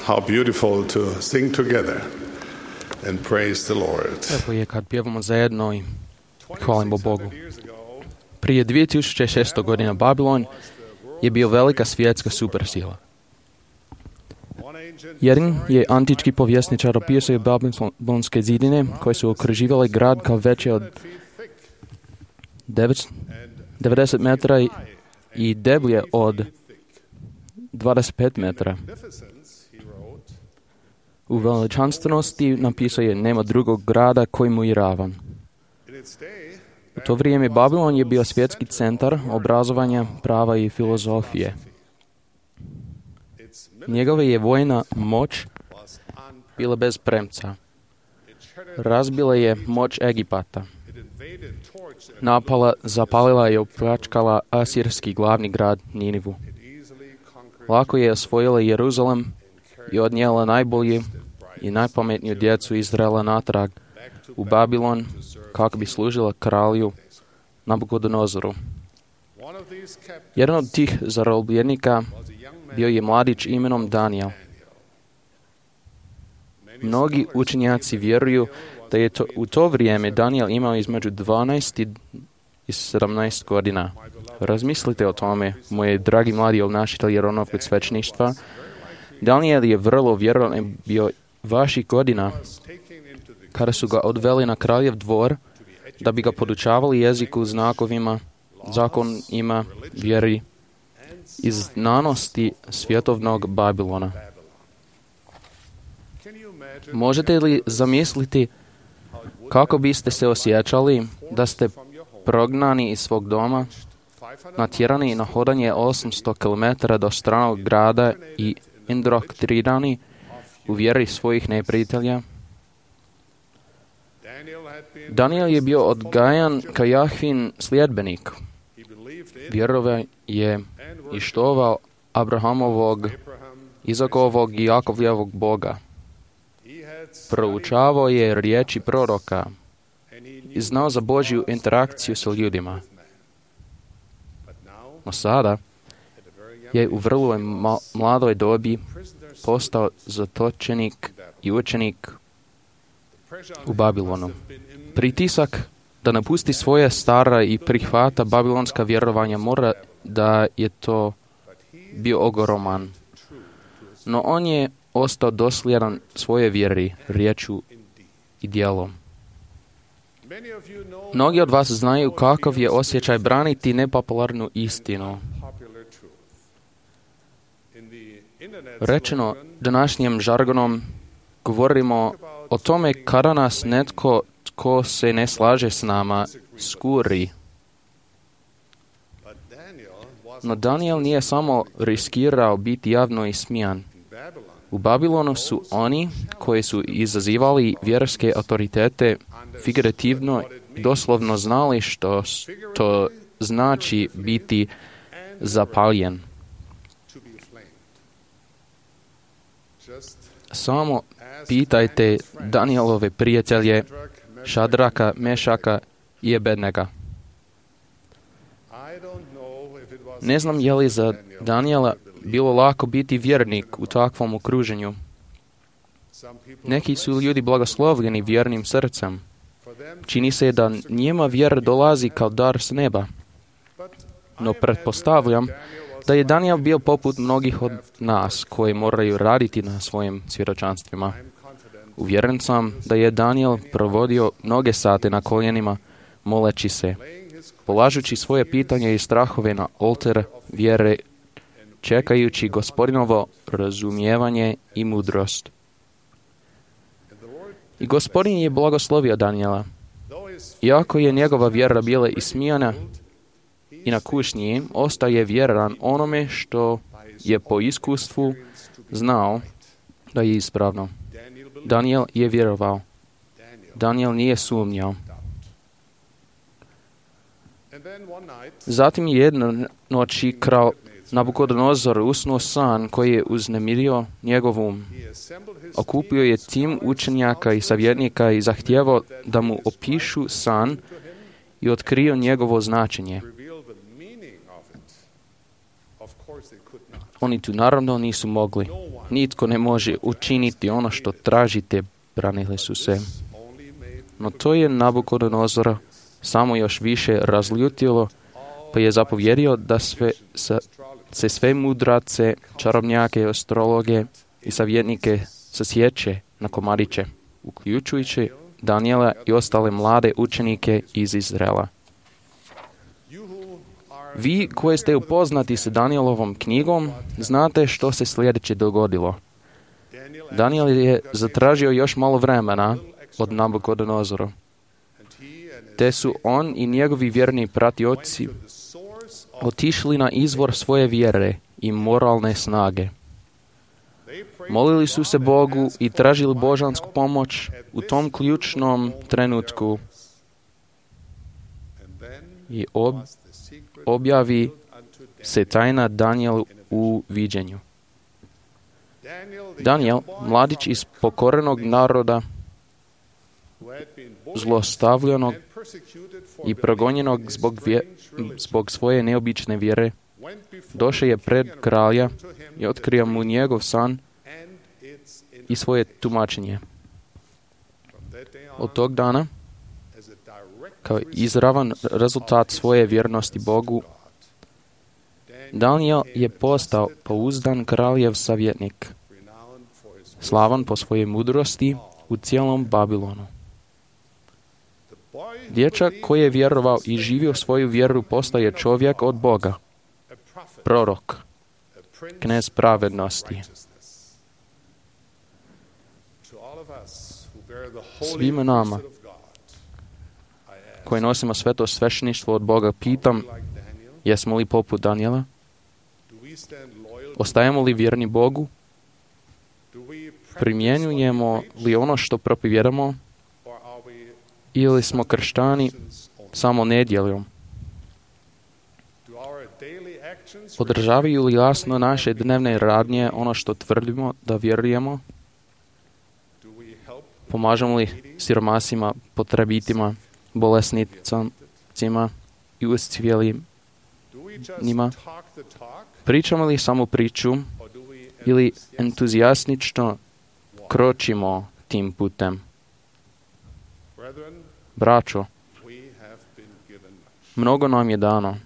How beautiful to sing together and praise the Lord. Lijepo je kad pjevamo zajedno i hvalimo Bogu. Prije dvije tisuće šesto godina Babilon je bio velika svjetska supersila. Jedan je antički povjesničar opisao babilonske zidine koje su okruživale grad kao veće od devedeset metara i deblje od dvadeset pet metara. U veličanstvenosti napisao je nema drugog grada koji mu je ravan. U to vrijeme Babilon je bio svjetski centar obrazovanja, prava i filozofije. Njegova je vojna moć bila bez premca. Razbila je moć Egipata. Napala, zapalila i opljačkala asirski glavni grad Ninivu. lako je osvojila Jeruzalem i odnijela najbolju i najpametniju djecu Izraela natrag u Babilon kako bi služila kralju Nabukodonozoru. Jedan od tih zarobljenika bio je mladić imenom Danijel. Mnogi učenjaci vjeruju da je to, u to vrijeme Danijel imao između dvanaest i sedamnaest godina. Razmislite o tome, moji dragi mladi obnašitelji Ronovog svećništva. Danijel je vrlo vjerovan bio vaših godina kada su ga odveli na kraljev dvor da bi ga podučavali jeziku, znakovima, zakonima, vjeri i znanosti svjetovnog Babilona. Možete li zamisliti kako biste se osjećali da ste prognani iz svog doma, natjerani na hodanje osamsto kilometara do stranog grada i indoktrinirani u vjeri svojih neprijatelja? Danijel je bio odgajan kao Jahvin sljedbenik. Vjerovao je i štovao Abrahamovog, Izakovog i Jakovljevog Boga. Proučavao je riječi proroka i znao za Božju interakciju sa ljudima. No sada je u vrlo mladoj dobi postao zatočenik i učenik u Babilonu. Pritisak da napusti svoje stara i prihvata babilonska vjerovanja mora da je to bio ogroman. No on je ostao dosljedan svoje vjeri, riječu i djelom. Mnogi od vas znaju kakav je osjećaj braniti nepopularnu istinu. Rečeno današnjim žargonom govorimo o tome kada nas netko tko se ne slaže s nama skuri. No Danijel nije samo riskirao biti javno ismijan. U Babilonu su oni koji su izazivali vjerske autoritete figurativno i doslovno znali što to znači biti zapaljen. Samo pitajte Danijelove prijatelje Šadraka, Mešaka i Abednega. Ne znam je li za Danijela bilo lako biti vjernik u takvom okruženju. Neki su ljudi blagoslovljeni vjernim srcem. Čini se da njima vjera dolazi kao dar s neba. No pretpostavljam da je Danijel bio poput mnogih od nas koji moraju raditi na svojim svjedočanstvima. Uvjeren sam da je Danijel provodio mnoge sate na koljenima, moleći se, polažući svoje pitanje i strahove na oltar vjere, čekajući Gospodinovo razumijevanje i mudrost. I Gospodin je blagoslovio Danijela. Iako je njegova vjera bila ismijana i na kušnji, ostaje vjeran onome što je po iskustvu znao da je ispravno. Danijel je vjerovao. Danijel nije sumnjao. Zatim jedno noći kralj Nabukodonozor usnuo san koji je uznemirio njegov um. Okupio je tim učenjaka i savjetnika i zahtijevao da mu opišu san i otkrio njegovo značenje. Oni tu naravno nisu mogli. Nitko ne može učiniti ono što tražite, branili su se. No to je Nabukodonozora samo još više razljutilo, pa je zapovjerio da sve, sa, se sve mudrace, čarobnjake, astrologe i savjetnike sasjeće na komadiće, uključujući Danijela i ostale mlade učenike iz Izraela. Vi koji ste upoznati s Danijelovom knjigom, znate što se sljedeće dogodilo. Danijel je zatražio još malo vremena od Nabukodonozora, te su on i njegovi vjerni pratioci otišli na izvor svoje vjere i moralne snage. Molili su se Bogu i tražili božansku pomoć u tom ključnom trenutku i ob, objavi se tajna Danijelu u viđenju. Danijel, mladić iz pokorenog naroda, zlostavljanog i progonjenog zbog, vje, zbog svoje neobične vjere, došao je pred kralja i otkrio mu njegov san i svoje tumačenje. Od tog dana, kao izravan rezultat svoje vjernosti Bogu, Danijel je postao pouzdan kraljev savjetnik, slavan po svojoj mudrosti u cijelom Babilonu. Dječak koji je vjerovao i živio svoju vjeru postaje čovjek od Boga, prorok, knez pravednosti. Svima nama koji nosimo sveto svešteništvo od Boga pitam, jesmo li poput Danijela? Ostajemo li vjerni Bogu? Primjenjujemo li ono što propovjedamo? Ili smo kršćani samo nedjeljom? Podržavaju li jasno naše dnevne radnje ono što tvrdimo da vjerujemo? Pomažemo li siromasima, potrebitima, bolesnicima i uscijelim njima? Pričamo li samo priču ili entuzijastično kročimo tim putem? Braćo, mnogo nam je dano.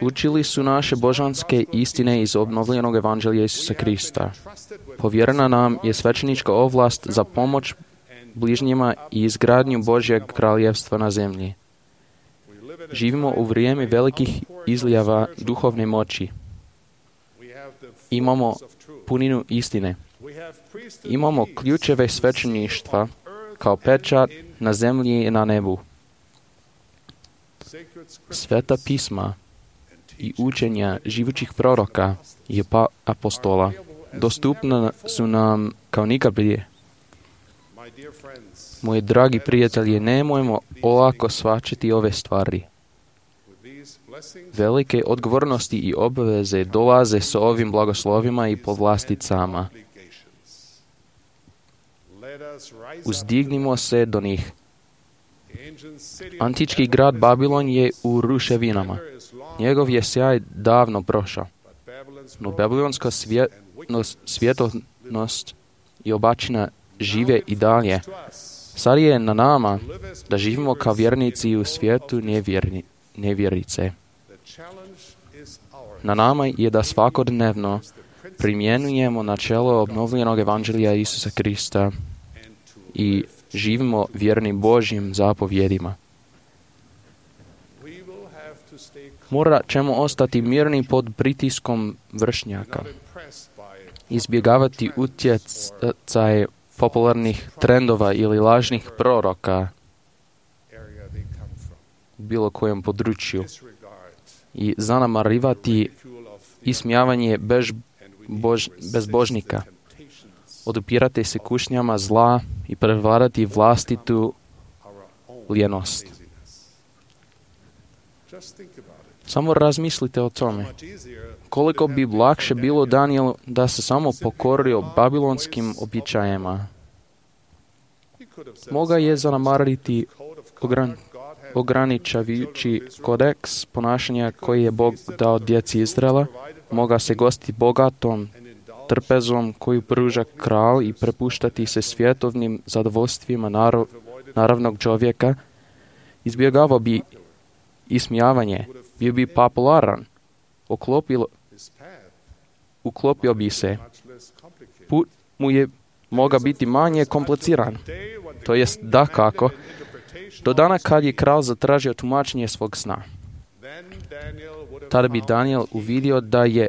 Učili su naše božanske istine iz obnovljenog evanđelja Isusa Krista. Povjerena nam je svećenička ovlast za pomoć bližnjima i izgradnju Božjeg kraljevstva na zemlji. Živimo u vrijeme velikih izlijeva duhovne moći. Imamo puninu istine. Imamo ključeve svećeništva kao pečat na zemlji i na nebu. Sveta pisma i učenja živućih proroka i apostola dostupna su nam kao nikad prije. Moji dragi prijatelji, nemojmo olako shvaćati ove stvari. Velike odgovornosti i obaveze dolaze s ovim blagoslovima i povlasticama. Uzdignimo se do njih. Antički grad Babilon je u ruševinama. Njegov je sjaj davno prošao. No babilonska svjetovnost i obačina žive i dalje. Sad je na nama da živimo kao vjernici u svijetu nevjerni, nevjerice. Na nama je da svakodnevno primjenjujemo načelo obnovljenog evanđelja Isusa Krista i živimo vjerni Božjim zapovjedima. Morat ćemo ostati mirni pod pritiskom vršnjaka, izbjegavati utjecaje popularnih trendova ili lažnih proroka u bilo kojem području i zanemarivati ismijavanje bez bož, bezbožnika, odupirati se kušnjama zla i prevladati vlastitu lijenost. Samo razmislite o tome. Koliko bi lakše bilo Danijelu da se samo pokorio babilonskim običajima. Moga je zanemariti ogran, ograničavajući kodeks ponašanja koji je Bog dao djeci Izraela. Moga se gostiti bogatom trpezom koju pruža kralj i prepuštati se svjetovnim zadovoljstvima narov, naravnog čovjeka. Izbjegavao bi ismijavanje, bio bi popularan, oklopilo, uklopio bi se. Put mu je moga biti manje kompliciran. To jest dakako, do dana kad je kralj zatražio tumačenje svog sna. Tada bi Danijel uvidio da je,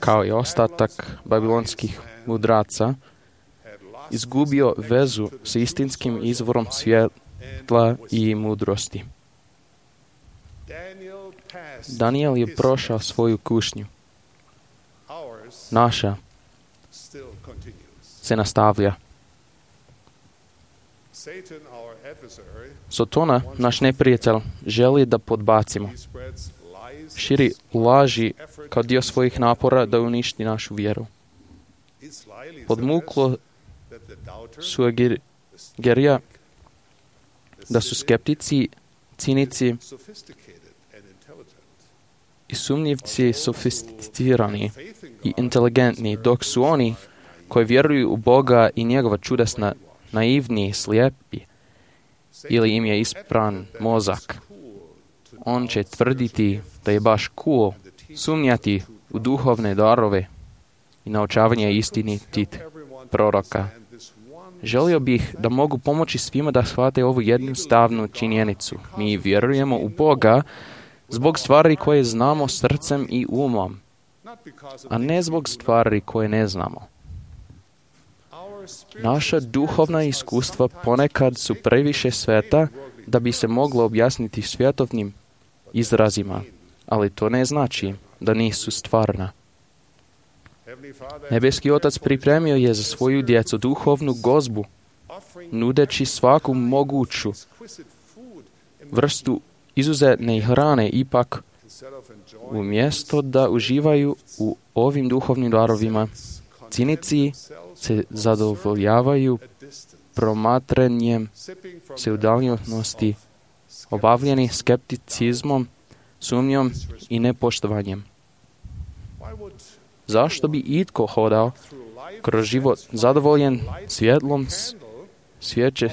kao i ostatak babilonskih mudraca, izgubio vezu s istinskim izvorom svjetla i mudrosti. Danijel je prošao svoju kušnju. Naša se nastavlja. Sotona, naš neprijatelj, želi da podbacimo. širi laži kao dio svojih napora da uništi našu vjeru. Podmuklo sugerira da su skeptici, cinici i sumnjivci sofisticirani i inteligentni, dok su oni koji vjeruju u Boga i njegova čudesna naivni, slijepi, ili im je ispran mozak. On će tvrditi da je baš cool sumnjati u duhovne darove i naučavanje istinitih proroka. Želio bih da mogu pomoći svima da shvate ovu jednostavnu činjenicu. Mi vjerujemo u Boga zbog stvari koje znamo srcem i umom, a ne zbog stvari koje ne znamo. Naša duhovna iskustva ponekad su previše sveta da bi se moglo objasniti svjetovnim izrazima, ali to ne znači da nisu stvarna. Nebeski Otac pripremio je za svoju djecu duhovnu gozbu, nudeći svaku moguću vrstu izuzetne hrane, ipak umjesto da uživaju u ovim duhovnim darovima, cinici se zadovoljavaju promatranjem se udaljenosti, obavljeni skepticizmom, sumnjom i nepoštovanjem. Zašto bi itko hodao kroz život zadovoljen svjetlom svijeće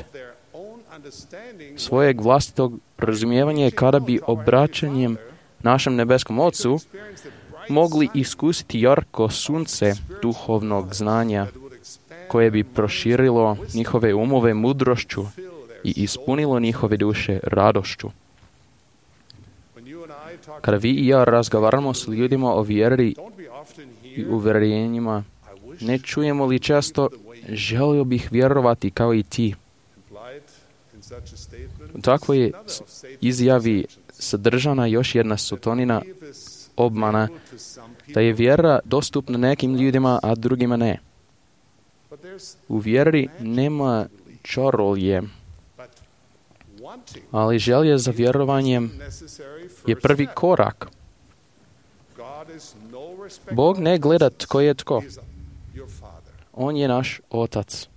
svojeg vlastitog razumijevanja kada bi obraćanjem našem nebeskom Ocu mogli iskusiti jarko sunce duhovnog znanja koje bi proširilo njihove umove mudrošću i ispunilo njihove duše radošću. Kada vi i ja razgovaramo s ljudima o vjeri i uvjerenjima, ne čujemo li često želio bih vjerovati kao i ti? U takvoj izjavi sadržana još jedna sotonina obmana da je vjera dostupna nekim ljudima, a drugima ne. U vjeri nema čarolje, ali želja za vjerovanjem je prvi korak. Bog ne gleda tko je tko. On je naš Otac.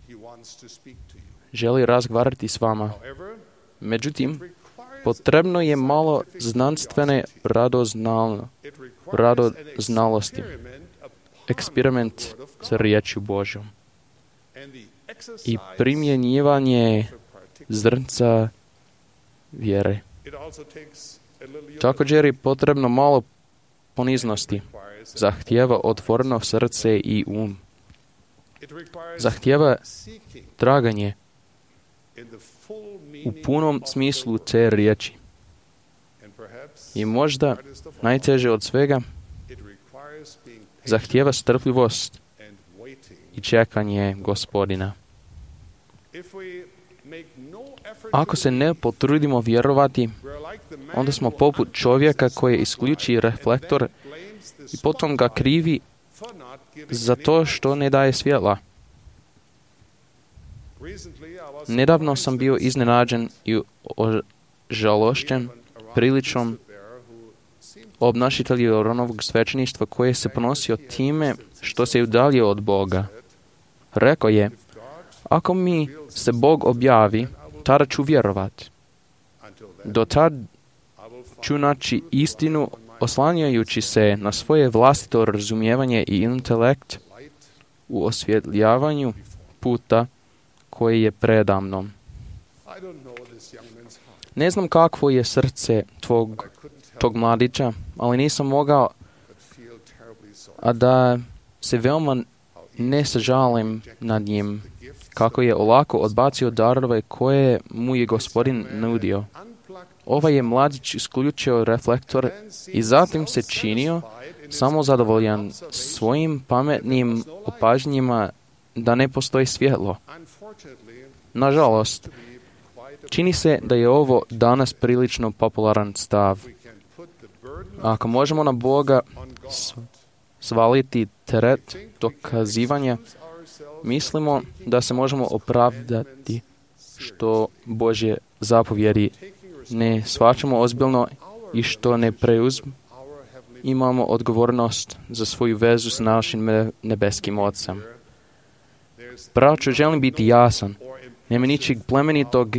Želi razgovarati s vama. Međutim, potrebno je malo znanstvene radoznalo, radoznalosti. Eksperiment sa riječju Božjom. I primjenjivanje zrnca vjere. Također je potrebno malo poniznosti. Zahtijeva otvoreno srce i um. Zahtijeva traganje u punom smislu te riječi. I možda najteže od svega zahtijeva strpljivost i čekanje Gospodina. Ako se ne potrudimo vjerovati, onda smo poput čovjeka koji isključi reflektor i potom ga krivi za to što ne daje svjetla. Nedavno sam bio iznenađen i ožalošćen priličom obnašitelja Ronovog svećeništva koje se ponosio time što se udaljio od Boga. Rekao je, ako mi se Bog objavi, tada ću vjerovati. Do tad ću naći istinu oslanjajući se na svoje vlastito razumijevanje i intelekt u osvjetljavanju puta koji je predamnom. Ne znam kakvo je srce tvog, tog mladića, ali nisam mogao a da se veoma ne sažalim nad njim, kako je olako odbacio darove koje mu je Gospodin nudio. Ovaj je mladić isključio reflektor i zatim se činio samo zadovoljan svojim pametnim opažnjima da ne postoji svjetlo. Nažalost, čini se da je ovo danas prilično popularan stav. Ako možemo na Boga svaliti teret dokazivanja, mislimo da se možemo opravdati što Božje zapovjedi ne shvaćamo ozbiljno i što ne imamo odgovornost za svoju vezu s našim nebeskim Ocem. Braćo, želim biti jasan. Nema ničeg plemenitog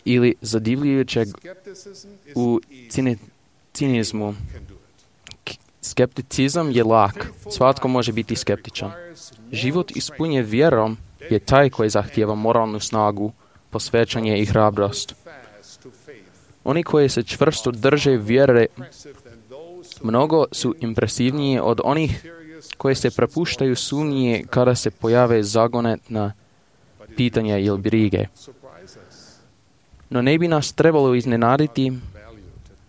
ili zadivljujućeg u cine, cinizmu. Skepticizam je lak. Svatko može biti skeptičan. Život ispunjen vjerom je taj koji zahtijeva moralnu snagu, posvećanje i hrabrost. Oni koji se čvrsto drže vjere mnogo su impresivniji od onih koji se prepuštaju sumnje kada se pojave zagonetna pitanja ili brige. No ne bi nas trebalo iznenaditi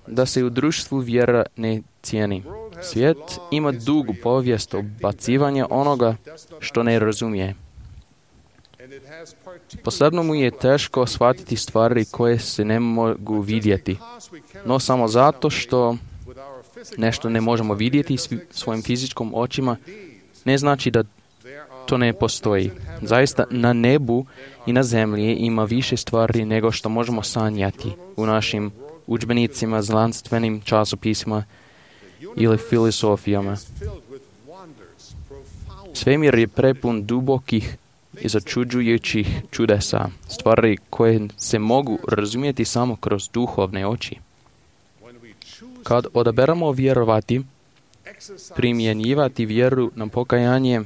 da se u društvu vjera ne cijeni. Svijet ima dugu povijest obacivanja onoga što ne razumije. Posebno mu je teško shvatiti stvari koje se ne mogu vidjeti. No samo zato što nešto ne možemo vidjeti svojim fizičkom očima, ne znači da to ne postoji. Zaista na nebu i na zemlji ima više stvari nego što možemo sanjati u našim udžbenicima, znanstvenim časopisima ili filozofijama. Svemir je prepun dubokih i začuđujućih čudesa, stvari koje se mogu razumjeti samo kroz duhovne oči. Kad odaberemo vjerovati, primjenjivati vjeru na pokajanje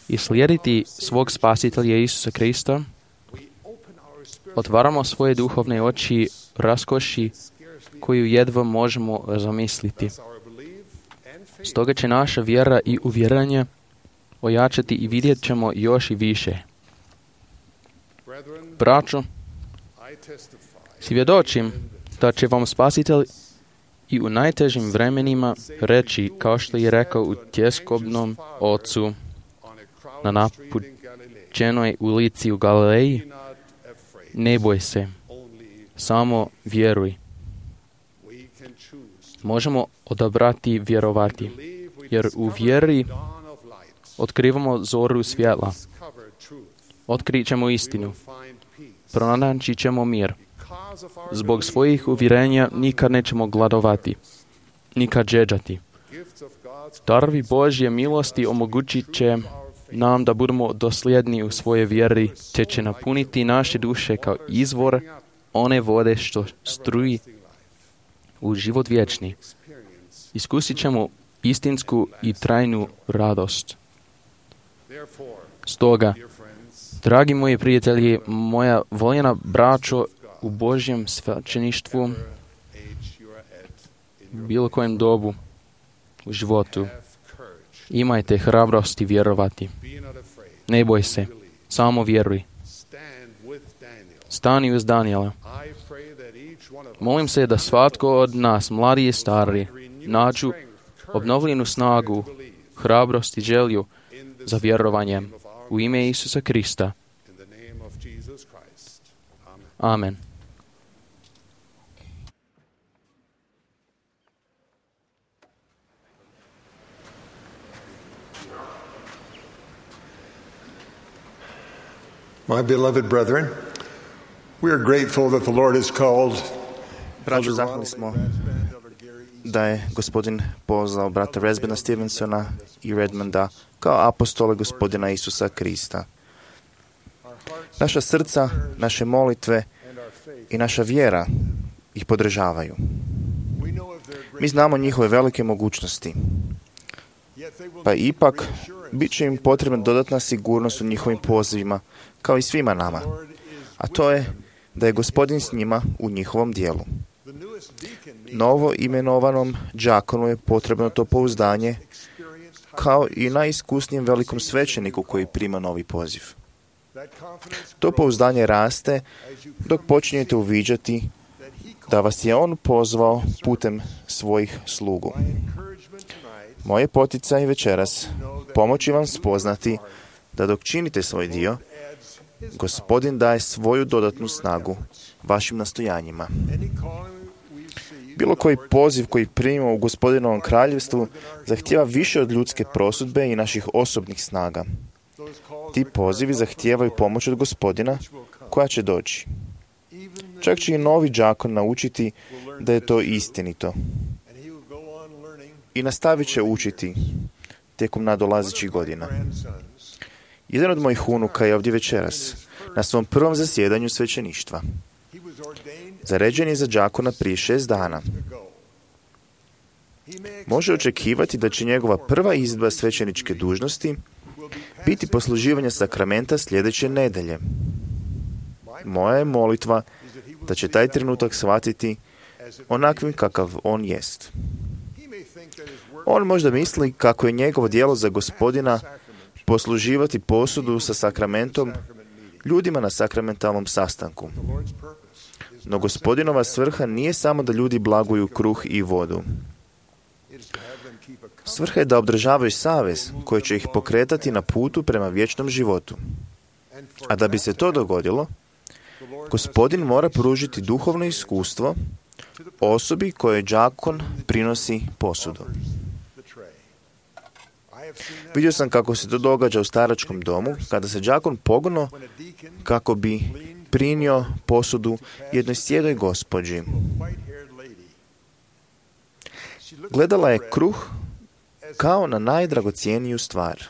i slijediti svog Spasitelja Isusa Krista, otvaramo svoje duhovne oči raskoši koju jedva možemo zamisliti. Stoga će naša vjera i uvjerenje ojačati i vidjet ćemo još i više. Braćo, svjedočim da će vam Spasitelj i u najtežim vremenima reći, kao što je rekao u tjeskobnom ocu na napućenoj ulici u Galileji, ne boj se, samo vjeruj. Možemo odabrati vjerovati, jer u vjeri otkrivamo zoru svjetla. Otkrit ćemo istinu. Pronaći ćemo mir. Zbog svojih uvjerenja nikad nećemo gladovati, nikad žeđati. Darovi Božje milosti omogućit će nam da budemo dosljedni u svoje vjeri, te će napuniti naše duše kao izvor one vode što struji u život vječni. Iskusit ćemo istinsku i trajnu radost. Stoga, dragi moji prijatelji, moja voljena braćo u Božjem svećeništvu, u bilo kojem dobu u životu, imajte hrabrosti vjerovati. Ne boj se, samo vjeruj. Stani uz Danijela. Molim se da svatko od nas, mladi i stari, nađu obnovljenu snagu, hrabrost i želju za vjerovanjem u ime Isusa Krista. Amen. My beloved brethren, we are grateful that the Lord has called Braćo, zahvalni smo da je Gospodin pozvao brata Resbena Stevensona i Redmonda kao apostole Gospodina Isusa Krista. Naša srca, naše molitve i naša vjera ih podržavaju. Mi znamo njihove velike mogućnosti, pa ipak bit će im potrebna dodatna sigurnost u njihovim pozivima, kao i svima nama. A to je da je Gospodin s njima u njihovom dijelu. Novo imenovanom đakonu je potrebno to pouzdanje, kao i najiskusnijem velikom svećeniku koji prima novi poziv. To pouzdanje raste dok počinjete uviđati da vas je on pozvao putem svojih slugu. Moje poticaj večeras pomoći vam spoznati da dok činite svoj dio, Gospodin daje svoju dodatnu snagu vašim nastojanjima. Bilo koji poziv koji primimo u Gospodinovom kraljevstvu zahtijeva više od ljudske prosudbe i naših osobnih snaga. Ti pozivi zahtijevaju pomoć od Gospodina koja će doći. Čak će i novi đakon naučiti da je to istinito. i nastavit će učiti tijekom nadolazećih godina. Jedan od mojih unuka je ovdje večeras, na svom prvom zasjedanju svećeništva. Zaređen je za đakona prije šest dana. Može očekivati da će njegova prva izvedba svećeničke dužnosti biti posluživanje sakramenta sljedeće nedelje. Moja je molitva da će taj trenutak shvatiti onakvim kakav on jest. On možda misli kako je njegovo djelo za Gospodina posluživati posudu sa sakramentom ljudima na sakramentalnom sastanku. No Gospodinova svrha nije samo da ljudi blaguju kruh i vodu. Svrha je da održavaju savez koji će ih pokretati na putu prema vječnom životu. A da bi se to dogodilo, Gospodin mora pružiti duhovno iskustvo osobi kojoj đakon prinosi posudu. Vidio sam kako se to događa u staračkom domu, kada se đakon pognuo kako bi prinio posudu jednoj sjedoj gospođi. Gledala je kruh kao na najdragocijeniju stvar.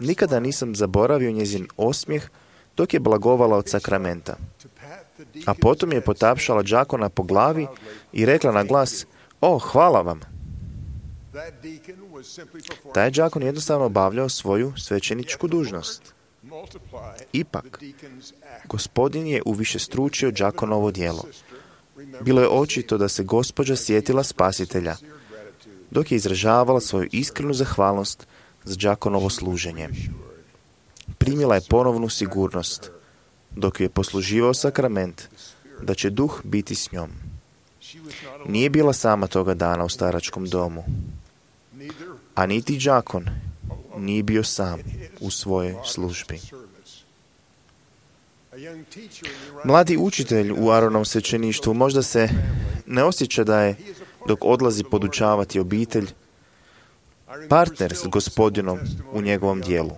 Nikada nisam zaboravio njezin osmijeh dok je blagovala od sakramenta. A potom je potapšala đakona po glavi i rekla na glas: "O, hvala vam." Taj đakon jednostavno obavljao svoju svećeničku dužnost. Ipak, Gospodin je uvišestručio đakonovo djelo. Bilo je očito da se gospođa sjetila Spasitelja, dok je izražavala svoju iskrenu zahvalnost za đakonovo služenje. Primila je ponovnu sigurnost, dok je posluživao sakrament, da će duh biti s njom. Nije bila sama toga dana u staračkom domu, a niti đakon nije bio sam u svojoj službi. Mladi učitelj u Aaronovom svećeništvu možda se ne osjeća da je, dok odlazi podučavati obitelj, partner s Gospodinom u njegovom dijelu.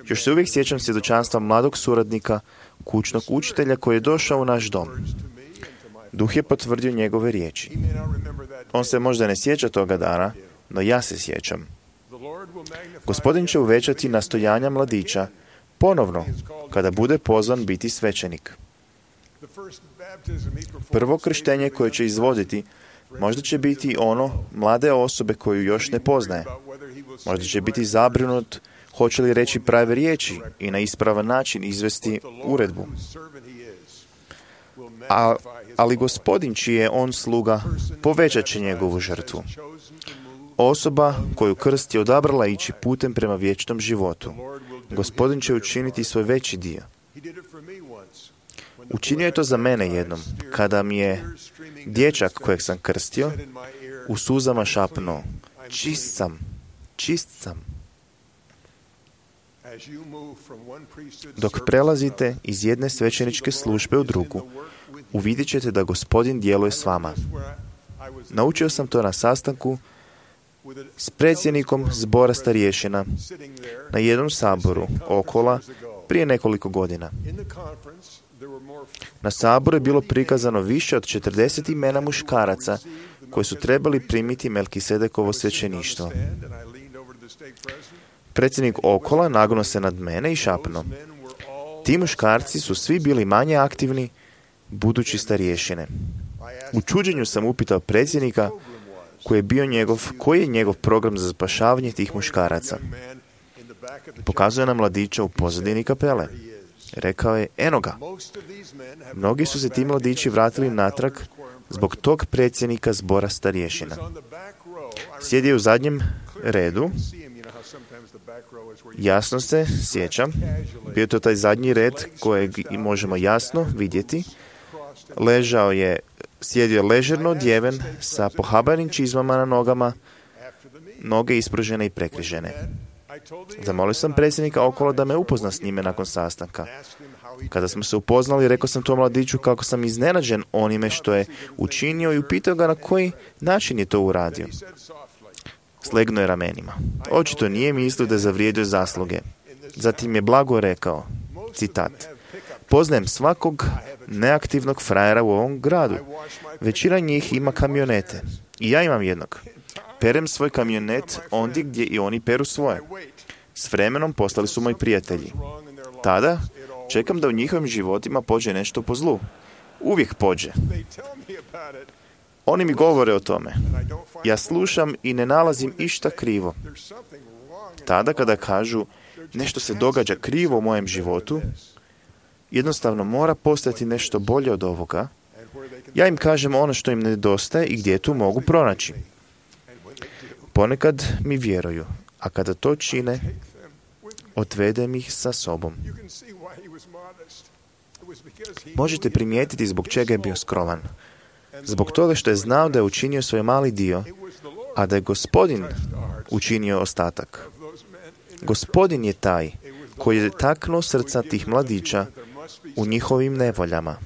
Još se uvijek sjećam svjedočanstva mladog suradnika, kućnog učitelja koji je došao u naš dom. Duh je potvrdio njegove riječi. On se možda ne sjeća toga dana, no ja se sjećam. Gospodin će uvećati nastojanja mladića ponovno kada bude pozvan biti svećenik. Prvo krštenje koje će izvoditi možda će biti ono mlade osobe koju još ne poznaje. Možda će biti zabrinut hoće li reći prave riječi i na ispravan način izvesti uredbu. A, ali Gospodin čiji je on sluga povećat će njegovu žrtvu. Osoba koju krst je odabrala ići putem prema vječnom životu. Gospodin će učiniti svoj veći dio. Učinio je to za mene jednom, kada mi je dječak kojeg sam krstio u suzama šapnuo: "Čist sam, čist sam." Dok prelazite iz jedne svećeničke službe u drugu, uvidjet ćete da Gospodin djeluje s vama. Naučio sam to na sastanku s predsjednikom zbora starješina na jednom saboru Okola prije nekoliko godina. Na saboru je bilo prikazano više od četrdeset imena muškaraca koji su trebali primiti Melkisedekovo svećeništvo. Predsjednik Okola nagnuo se nad mene i šapnuo: "Ti muškarci su svi bili manje aktivni, budući starješine." U čuđenju sam upitao predsjednika koji je bio njegov, koji je njegov program za spašavanje tih muškaraca. Pokazuje nam mladića u pozadini kapele. Rekao je: "Eno ga." Mnogi su se ti mladići vratili natrag zbog tog predsjednika zbora starješina. Sjedio u zadnjem redu. Jasno se sjećam, bio to taj zadnji red kojeg možemo jasno vidjeti. Ležao je, sjedio ležerno odjeven sa pohabanim čizmama na nogama, noge ispružene i prekrižene. Zamolio sam predsjednika Okola da me upozna s njime nakon sastanka. Kada smo se upoznali, rekao sam tom mladiću kako sam iznenađen onime što je učinio i upitao ga na koji način je to uradio. Slegnuo je ramenima. Očito nije mislio da je zavrijedio zasluge. Zatim je blago rekao, citat: Poznajem svakog neaktivnog frajera u ovom gradu. Većina njih ima kamionete. I ja imam jednog. Perem svoj kamionet ondje gdje i oni peru svoje. S vremenom postali su moji prijatelji. Tada čekam da u njihovim životima pođe nešto po zlu. Uvijek pođe. Oni mi govore o tome. Ja slušam i ne nalazim išta krivo. Tada kada kažu nešto se događa krivo u mojem životu, jednostavno mora postati nešto bolje od ovoga, ja im kažem ono što im nedostaje i gdje tu mogu pronaći. Ponekad mi vjeruju, a kada to čine, odvedem ih sa sobom. Možete primijetiti zbog čega je bio skroman. Zbog toga što je znao da je učinio svoj mali dio, a da je Gospodin učinio ostatak. Gospodin je taj koji je taknuo srca tih mladića u njihovim nevoljama.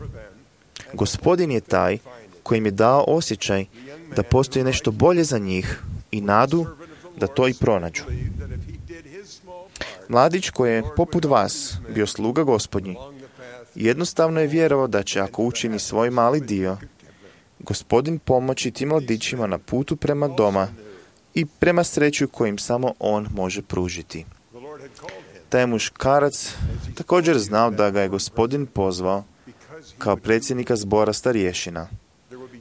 Gospodin je taj koji im je dao osjećaj da postoji nešto bolje za njih i nadu da to i pronađu. Mladić koji je, poput vas, bio sluga Gospodnji, jednostavno je vjerovao da će, ako učini svoj mali dio, Gospodin pomoći tim mladićima na putu prema doma i prema sreću kojim samo on može pružiti. Taj muškarac također znao da ga je Gospodin pozvao kao predsjednika zbora starješina,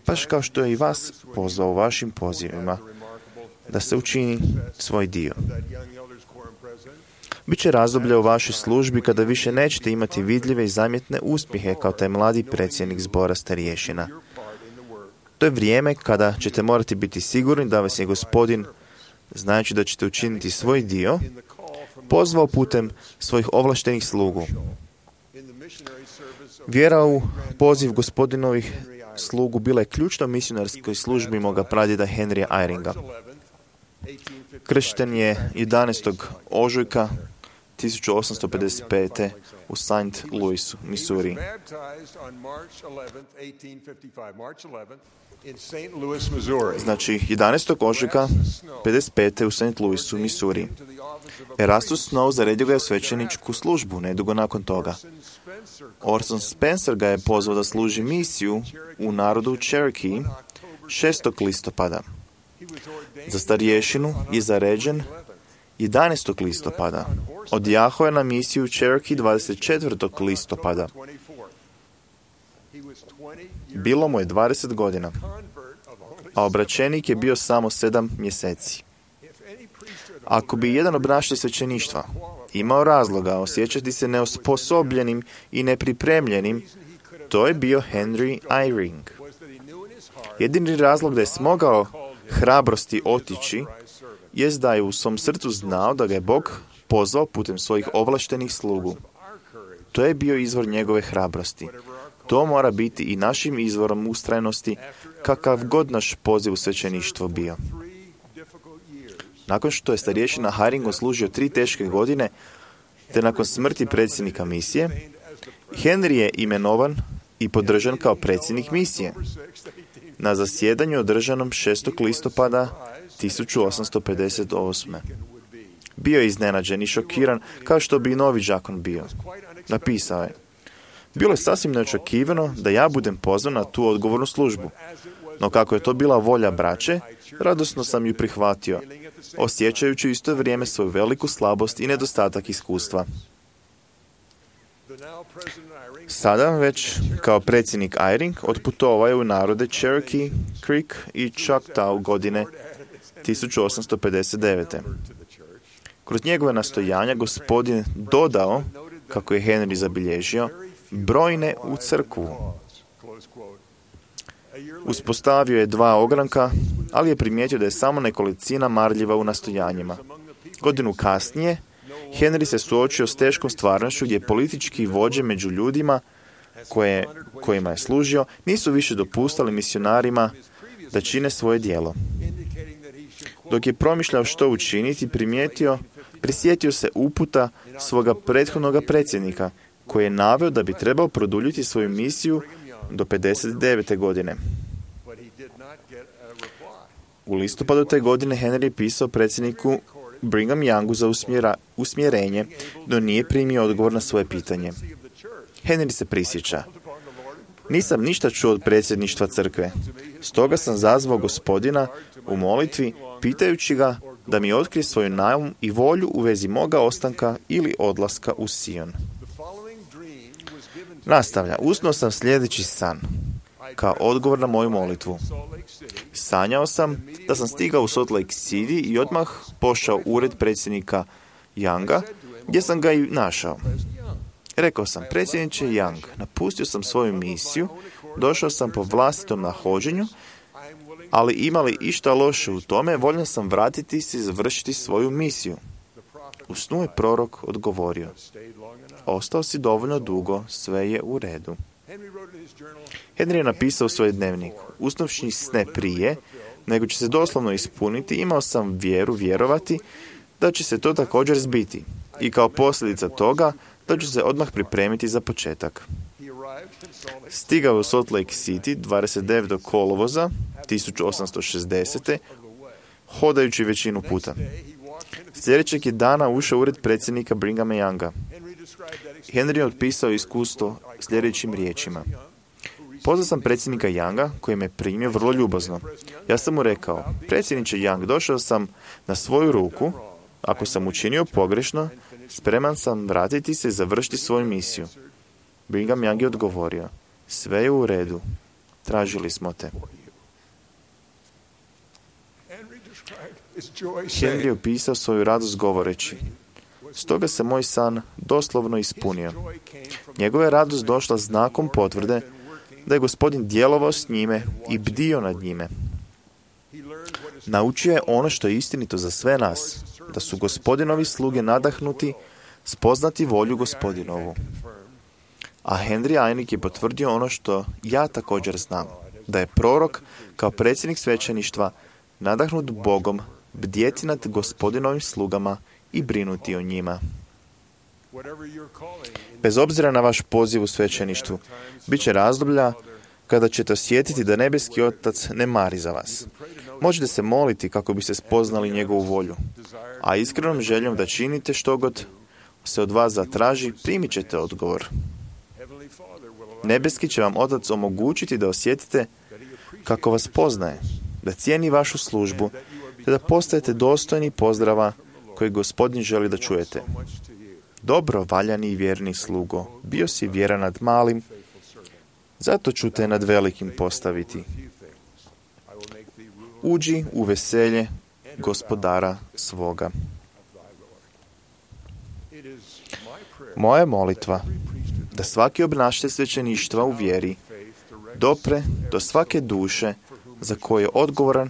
baš kao što je i vas pozvao u vašim pozivima, da se učini svoj dio. Biće razdoblje u vašoj službi kada više nećete imati vidljive i zamjetne uspjehe kao taj mladi predsjednik zbora starješina. To je vrijeme kada ćete morati biti sigurni da vas je Gospodin, znajući da ćete učiniti svoj dio, pozvao putem svojih ovlaštenih slugu. Vjera u poziv Gospodinovih slugu bila je ključna u misionarskoj službi moga pradjeda Henrya Eyringa. Kršten je jedanaestog ožujka tisuću osamsto pedeset pete u Saint Louisu, Missouri. Znači, jedanaestog ožujka pedeset pete u Saint Louisu, Missouri. Erastus Snow zaredio ga je u svećeničku službu nedugo nakon toga. Orson Spencer ga je pozvao da služi misiju u narodu Cherokee šestog listopada. Za starješinu je zaređen jedanaestog listopada. Odjahao je na misiju Cherokee dvadeset četvrtog listopada. Bilo mu je dvadeset godina, a obraćenik je bio samo sedam mjeseci. Ako bi jedan obnašatelj svećeništva imao razloga osjećati se neosposobljenim i nepripremljenim, to je bio Henry Eyring. Jedini razlog da je smogao hrabrosti otići jest da je u svom srcu znao da ga je Bog pozvao putem svojih ovlaštenih slugu. To je bio izvor njegove hrabrosti. To mora biti i našim izvorom ustrajnosti, kakav god naš poziv u svećeništvo bio. Nakon što je starješina Eyring služio tri teške godine, te nakon smrti predsjednika misije, Henry je imenovan i podržan kao predsjednik misije na zasjedanju održanom šestog listopada tisuću osamsto pedeset osme. Bio je iznenađen i šokiran, kao što bi i novi đakon bio. Napisao je: bilo je sasvim neočekivano da ja budem pozvan na tu odgovornu službu, no kako je to bila volja braće, radosno sam ju prihvatio, osjećajući u isto vrijeme svoju veliku slabost i nedostatak iskustva. Sada već, kao predsjednik Eyring, otputovao je u narode Cherokee, Creek i Choctaw godine tisuću osamsto pedeset devete. Kroz njegove nastojanja Gospodin dodao, kako je Henry zabilježio, brojne u crkvu. Uspostavio je dva ogranka, ali je primijetio da je samo nekolicina marljiva u nastojanjima. Godinu kasnije, Henry se suočio s teškom stvarnošću gdje politički vođe među ljudima koje, kojima je služio nisu više dopustali misionarima da čine svoje djelo. Dok je promišljao što učiniti, primijetio, prisjetio se uputa svoga prethodnog predsjednika, koji je naveo da bi trebao produljiti svoju misiju do pedeset devete godine. U listopadu te godine Henry je pisao predsjedniku Brigham Youngu za usmjera, usmjerenje, no nije primio odgovor na svoje pitanje. Henry se prisjeća. Nisam ništa čuo od predsjedništva crkve. Stoga sam zazvao Gospodina u molitvi, pitajući ga da mi otkrije svoju naum i volju u vezi moga ostanka ili odlaska u Sion. Nastavlja, usnuo sam sljedeći san, kao odgovor na moju molitvu. Sanjao sam da sam stigao u Salt Lake City i odmah pošao u ured predsjednika Younga, gdje sam ga i našao. Rekao sam, predsjedniče Young, napustio sam svoju misiju, došao sam po vlastitom nahođenju, ali imali išta loše u tome, voljan sam vratiti se i završiti svoju misiju. U snu je prorok odgovorio, ostao si dovoljno dugo, sve je u redu. Henry je napisao u svoj dnevnik, usnovši sne prije, nego će se doslovno ispuniti, imao sam vjeru vjerovati da će se to također zbiti i kao posljedica toga da ću se odmah pripremiti za početak. Stigao u Salt Lake City dvadeset devetog kolovoza tisuću osamsto šezdesete hodajući većinu puta. Sljedećeg je dana ušao u ured predsjednika Brighama Younga. Henry je otpisao iskustvo sljedećim riječima. Pozvao sam predsjednika Younga, koji me primio vrlo ljubazno. Ja sam mu rekao, predsjedniče Young, došao sam na svoju ruku, ako sam učinio pogrešno, spreman sam vratiti se i završiti svoju misiju. Brigham Young je odgovorio, sve je u redu, tražili smo te. Henry je opisao svoju radost govoreći, stoga se moj san doslovno ispunio. Njegova je radost došla znakom potvrde da je Gospodin djelovao s njime i bdio nad njime. Naučio je ono što je istinito za sve nas, da su Gospodinovi sluge nadahnuti spoznati volju Gospodinovu. A Henry Eynick je potvrdio ono što ja također znam, da je prorok kao predsjednik svećeništva nadahnut Bogom bdjeti nad Gospodinovim slugama i brinuti o njima. Bez obzira na vaš poziv u svećeništvu, bit će razdoblja kada ćete osjetiti da nebeski Otac ne mari za vas. Možete se moliti kako biste spoznali njegovu volju, a iskrenom željom da činite što god se od vas zatraži, primit ćete odgovor. Nebeski će vam Otac omogućiti da osjetite kako vas poznaje, da cijeni vašu službu, te da postajete dostojni pozdrava koji Gospodin želi da čujete. Dobro, valjani i vjerni slugo, bio si vjeran nad malim, zato ću te nad velikim postaviti. Uđi u veselje Gospodara svoga. Moja je molitva da svaki obnašatelj svećeništva u vjeri dopre do svake duše za koju je odgovoran,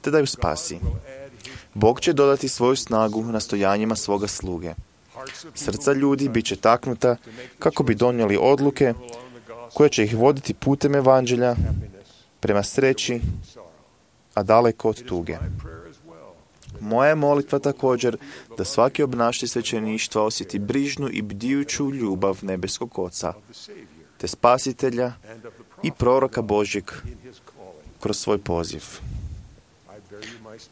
te da ju spasi. Bog će dodati svoju snagu nastojanjima svoga sluge. Srca ljudi bit će taknuta kako bi donijeli odluke koje će ih voditi putem evanđelja prema sreći, a daleko od tuge. Moja je molitva također da svaki obnašatelj svećeništva osjeti brižnu i bdijuću ljubav nebeskog Oca, te spasitelja i proroka Božjeg kroz svoj poziv.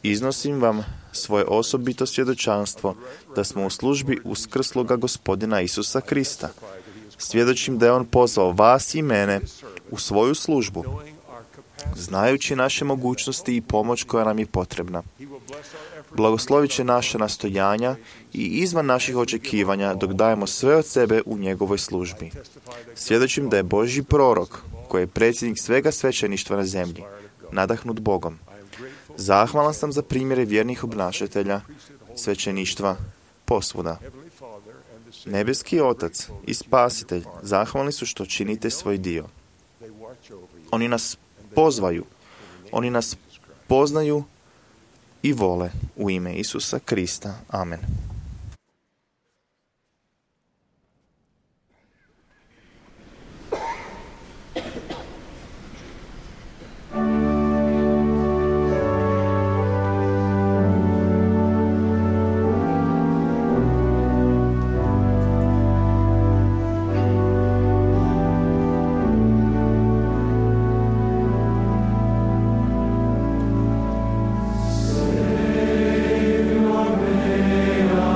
Iznosim vam svoje osobito svjedočanstvo da smo u službi uskrsloga Gospodina Isusa Krista. Svjedočim da je On pozvao vas i mene u svoju službu, znajući naše mogućnosti i pomoć koja nam je potrebna. Blagoslovit će naša nastojanja i izvan naših očekivanja dok dajemo sve od sebe u njegovoj službi. Svjedočim da je Božji prorok, koji je predsjednik svega svećeništva na zemlji, nadahnut Bogom. Zahvalan sam za primjere vjernih obnašatelja svećeništva posvuda. Nebeski Otac i Spasitelj zahvalni su što činite svoj dio. Oni nas pozvaju, oni nas poznaju i vole u ime Isusa Krista. Amen. Savior, may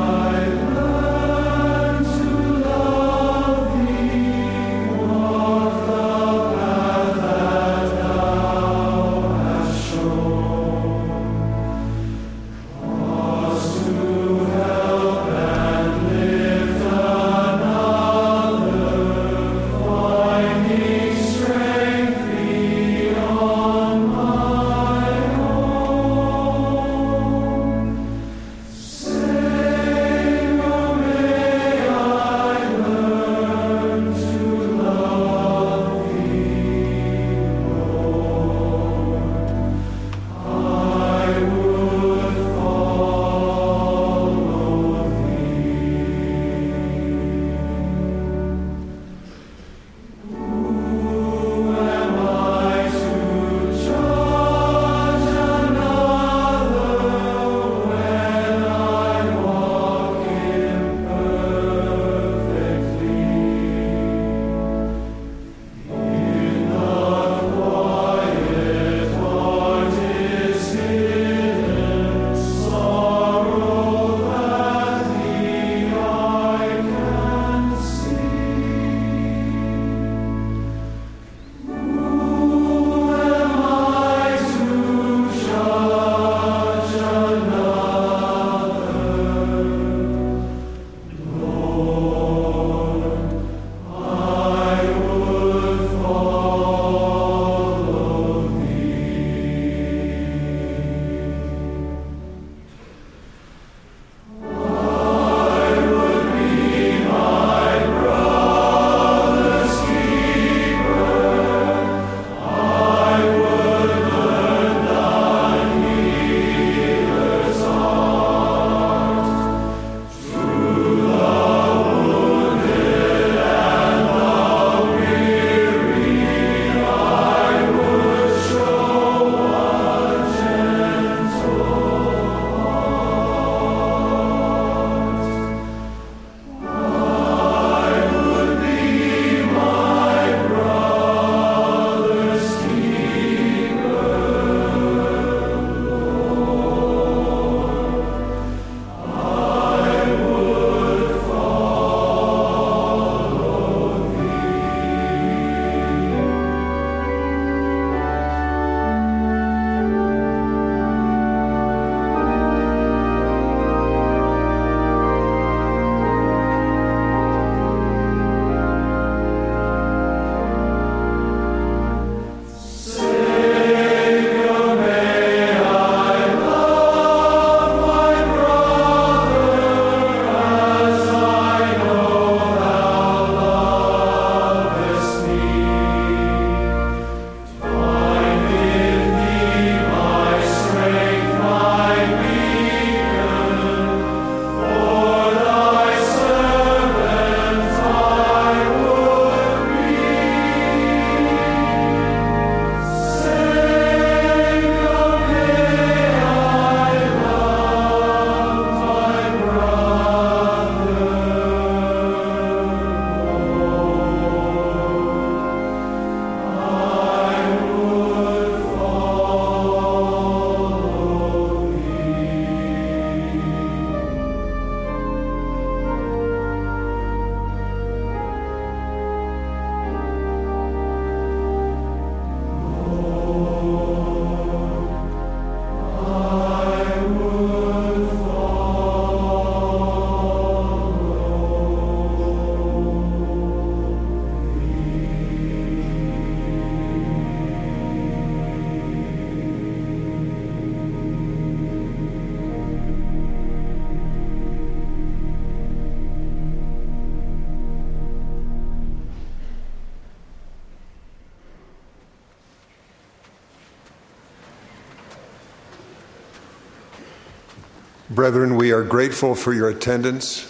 Brethren, we are grateful for your attendance.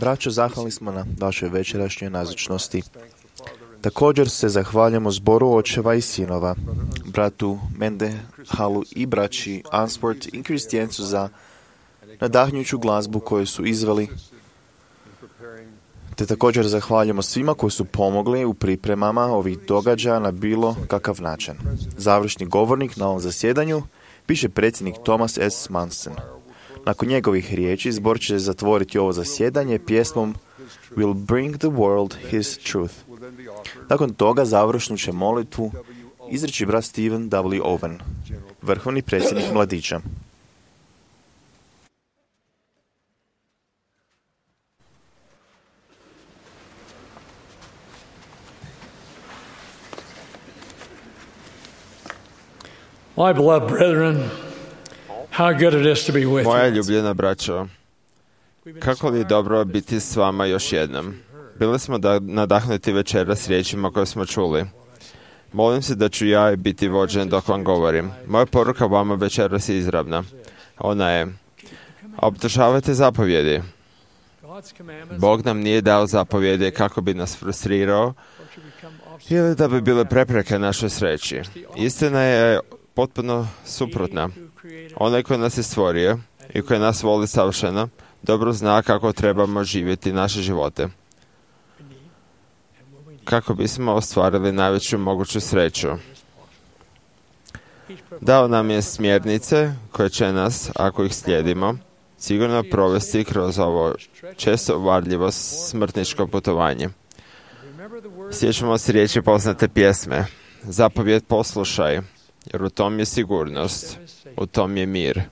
Braćo, zahvalni smo na vašoj večerašnjoj nazočnosti. Također se zahvaljujemo zboru očeva i sinova, bratu Mendehalu i braći Answorth i Kristijancu za nadahnjuću glazbu koju su izveli. Te također zahvaljujemo svima koji su pomogli u pripremama ovih događaja na bilo kakav način. Završni govornik na ovom zasjedanju piše predsjednik Thomas S. Manson. Nakon njegovih riječi zbor će zatvoriti ovo zasjedanje pjesmom Will bring the world his truth. Nakon toga završnu će molitvu izreći brat Stephen W. Owen, vrhovni predsjednik mladića. My beloved brethren, how good it is to be with Moja you. ljubljena braćo, kako li je dobro biti s vama još jednom. Bili smo da nadahnuti večera s riječima koje smo čuli. Molim se da ću ja biti vođen dok vam govorim. Moja poruka vama večeras je izravna. Ona je: obdržavajte zapovjedi. Bog nam nije dao zapovjedi kako bi nas frustrirao ili da bi bile prepreke našoj sreći. Istina je potpuno suprotna. Onaj koji nas je stvorio i koji nas voli savršeno, dobro zna kako trebamo živjeti naše živote, kako bismo ostvarili najveću moguću sreću. Dao nam je smjernice koje će nas, ako ih slijedimo, sigurno provesti kroz ovo često varljivo smrtničko putovanje. Sjećamo se riječi poznate pjesme: zapovjed poslušaj, jer u tom je sigurnost, u tom je mir.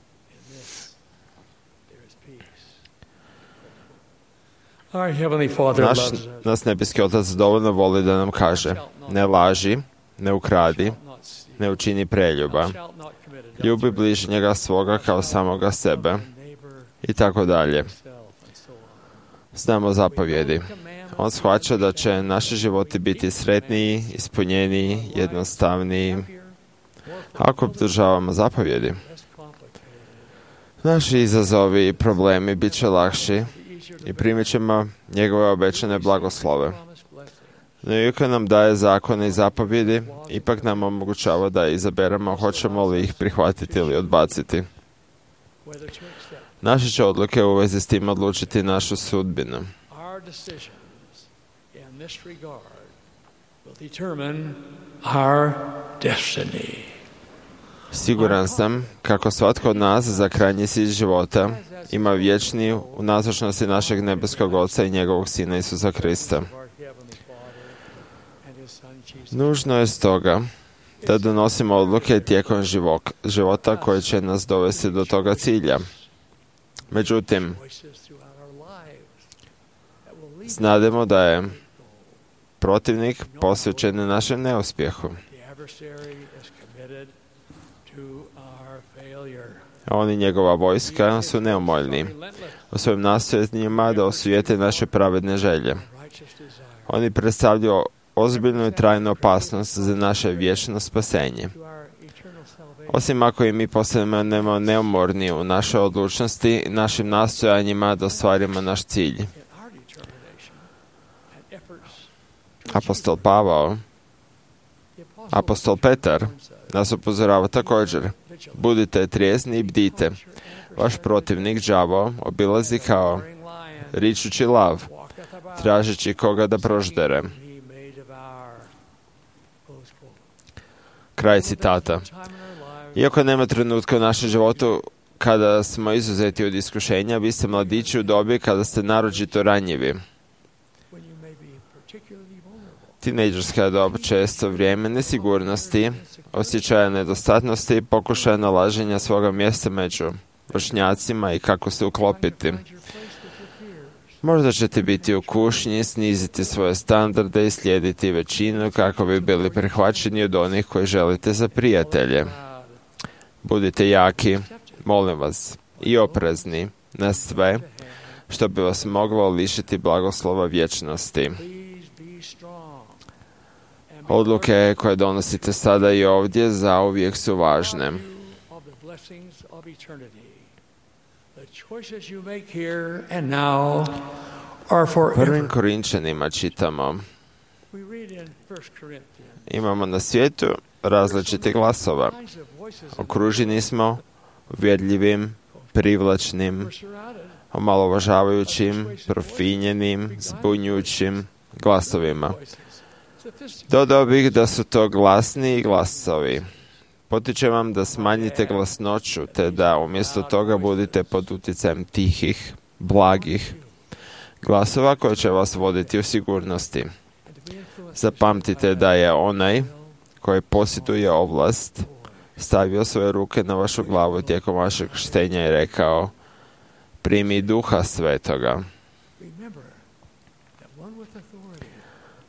Naš, nas nebeski Otac dovoljno voli da nam kaže: ne laži, ne ukradi, ne učini preljuba, ljubi bližnjega svoga kao samoga sebe i tako dalje. Znamo zapovjedi. On shvaća da će naši životi biti sretniji, ispunjeniji, jednostavniji ako obdržavamo zapovjedi. Naši izazovi i problemi bit će lakši i primit ćemo njegove obećane blagoslove. No iako nam daje zakone i zapovjedi, ipak nam omogućava da izaberemo hoćemo li ih prihvatiti ili odbaciti. Naše će odluke u vezi s tim odlučiti našu sudbinu. Siguran sam kako svatko od nas za krajnji cilj života ima vječni u nazočnosti našeg nebeskog Oca i njegovog Sina Isusa Krista. Nužno je stoga da donosimo odluke tijekom života koje će nas dovesti do toga cilja. Međutim, znademo da je protivnik posvećen našem neuspjehu. On i njegova vojska su neumoljni u svojim nastojanjima da osujete naše pravedne želje. Oni predstavljaju ozbiljnu i trajnu opasnost za naše vječno spasenje. Osim ako i mi postanemo neumorni u našoj odlučnosti i našim nastojanjima da ostvarimo naš cilj. Apostol Pavao, apostol Petar nas upozorava također: budite trijezni i bdite. Vaš protivnik đavo obilazi kao ričući lav, tražeći koga da proždere. Kraj citata. Iako nema trenutka u našem životu kada smo izuzeti od iskušenja, vi ste mladići u dobi kada ste naročito ranjivi. Tinejdžerska dob često vrijeme nesigurnosti, osjećaja nedostatnosti, pokušaja nalaženja svoga mjesta među vršnjacima i kako se uklopiti. Možda ćete biti u kušnji, sniziti svoje standarde i slijediti većinu kako bi bili prihvaćeni od onih koji želite za prijatelje. Budite jaki, molim vas, i oprezni na sve što bi vas moglo lišiti blagoslova vječnosti. Odluke koje donosite sada i ovdje zauvijek su važne. Prvim Korinčanima čitamo: imamo na svijetu različitih glasova. Okruženi smo uvjerljivim, privlačnim, omalovažavajućim, profinjenim, zbunjujućim glasovima. Dodao bih da su to glasni glasovi. Potičem vam da smanjite glasnoću, te da umjesto toga budite pod utjecajem tihih, blagih glasova koji će vas voditi u sigurnosti. Zapamtite da je onaj koji posjeduje ovlast stavio svoje ruke na vašu glavu tijekom vašeg krštenja i rekao: primi Duha Svetoga.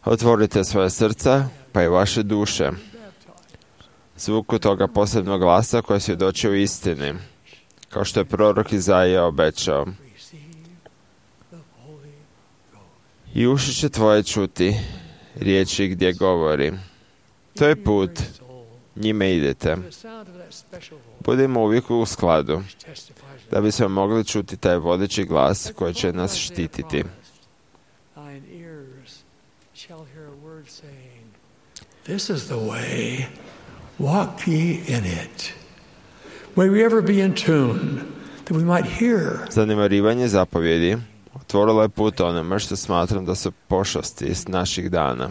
Otvorite svoje srca, pa i vaše duše zvuku toga posebnog glasa koji svjedoči u istini, kao što je prorok Izaija obećao. I uši će tvoje čuti riječi gdje govori. To je put, njime idete. Budimo uvijek u skladu, da bismo mogli čuti taj vodeći glas koji će nas štititi. This is the way, walk ye in it. May we ever be in tune, that we might hear. Zanemarivanje zapovjedi otvorilo je put onome što smatram da su pošasti iz naših dana.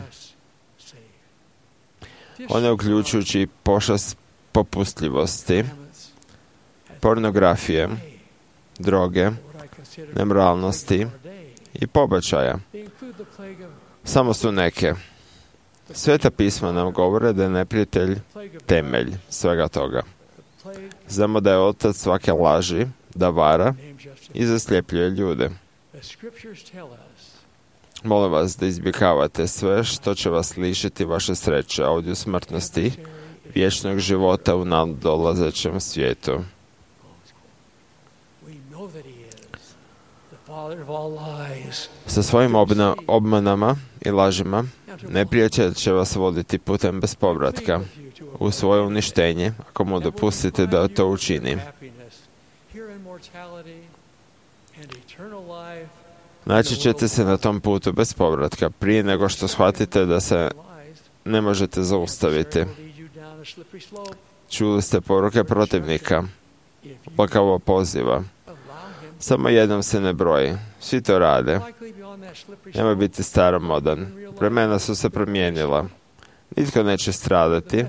One uključujući pošast popustljivosti, pornografije, droge, nemoralnosti i pobačaja. Samo su neke. Sveta pisma nam govore da je neprijatelj temelj svega toga. Znamo da je otac svake laži, da vara i zasljepljuje ljude. Molim vas da izbjegavate sve što će vas lišiti vaše sreće ovdje u smrtnosti, vječnog života u nadolazećem svijetu. Sa svojim obna, obmanama i lažima neprijatelj će vas voditi putem bez povratka u svoje uništenje, ako mu dopustite da to učini. Naći ćete se na tom putu bez povratka prije nego što shvatite da se ne možete zaustaviti. Čuli ste poruke protivnika, lakavo poziva. Samo jednom se ne broji. Svi to rade. Nemoj biti staromodan. Vremena su se promijenila. Nitko neće stradati.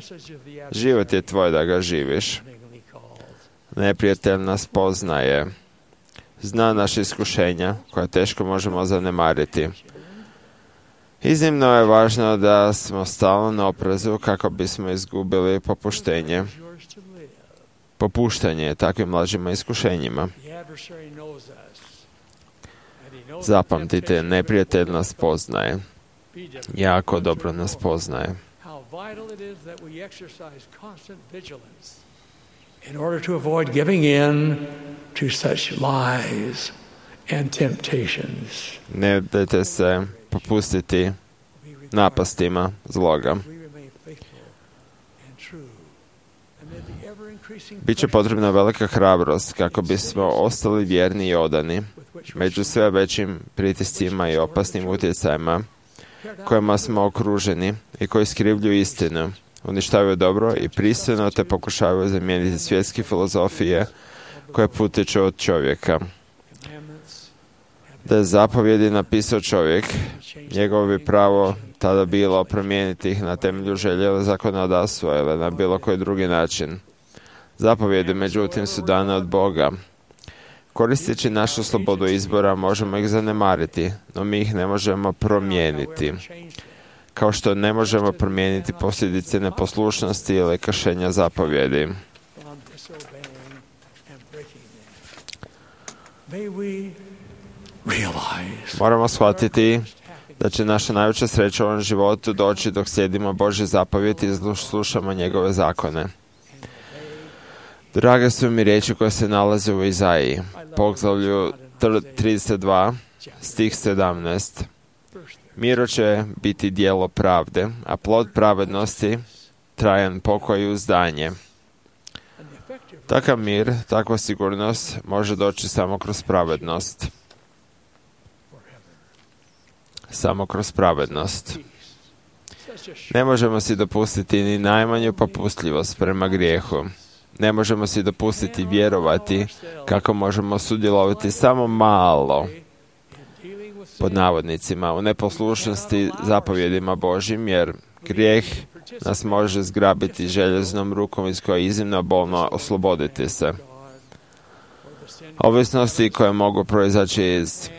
Život je tvoj da ga živiš. Neprijatelj nas poznaje. Zna naše iskušenja, koja teško možemo zanemariti. Iznimno je važno da smo stalno na oprezu kako bismo izgubili popuštenje. Popuštanje takvim lažima iskušenjima. Zapamtite, neprijatelj nas poznaje. Jako dobro nas poznaje. In order to avoid giving in to such lies and temptations. Ne dajte se popustiti napastima zloga. Biće potrebna velika hrabrost kako bismo ostali vjerni i odani među sve većim pritiscima i opasnim utjecajima kojima smo okruženi i koji skrivljuju istinu, uništavaju dobro i pristojno te pokušavaju zamijeniti svjetske filozofije koje potiču od čovjeka. Da je zapovjedi napisao čovjek, njegovo bi pravo tada bilo promijeniti ih na temelju želje zakonodavstva ili na bilo koji drugi način. Zapovjedi, međutim, su dane od Boga. Koristeći našu slobodu izbora možemo ih zanemariti, no mi ih ne možemo promijeniti. Kao što ne možemo promijeniti posljedice neposlušnosti ili kršenja zapovjedi. Moramo shvatiti da će naša najveća sreća u ovom životu doći dok slijedimo Božje zapovjedi i slušamo njegove zakone. Drage su mi riječi koje se nalaze u Izaiji, poglavlju trideset dva, stih sedamnaest. Miro će biti djelo pravde, a plod pravednosti trajan pokoj i uzdanje. Takav mir, takva sigurnost može doći samo kroz pravednost. Samo kroz pravednost. Ne možemo si dopustiti ni najmanju popustljivost prema grijehu. Ne možemo si dopustiti vjerovati kako možemo sudjelovati samo malo, pod navodnicima, u neposlušnosti zapovjedima Božjim, jer grijeh nas može zgrabiti željeznom rukom iz koje je iznimno bolno osloboditi se. Ovisnosti koje mogu proizaći iz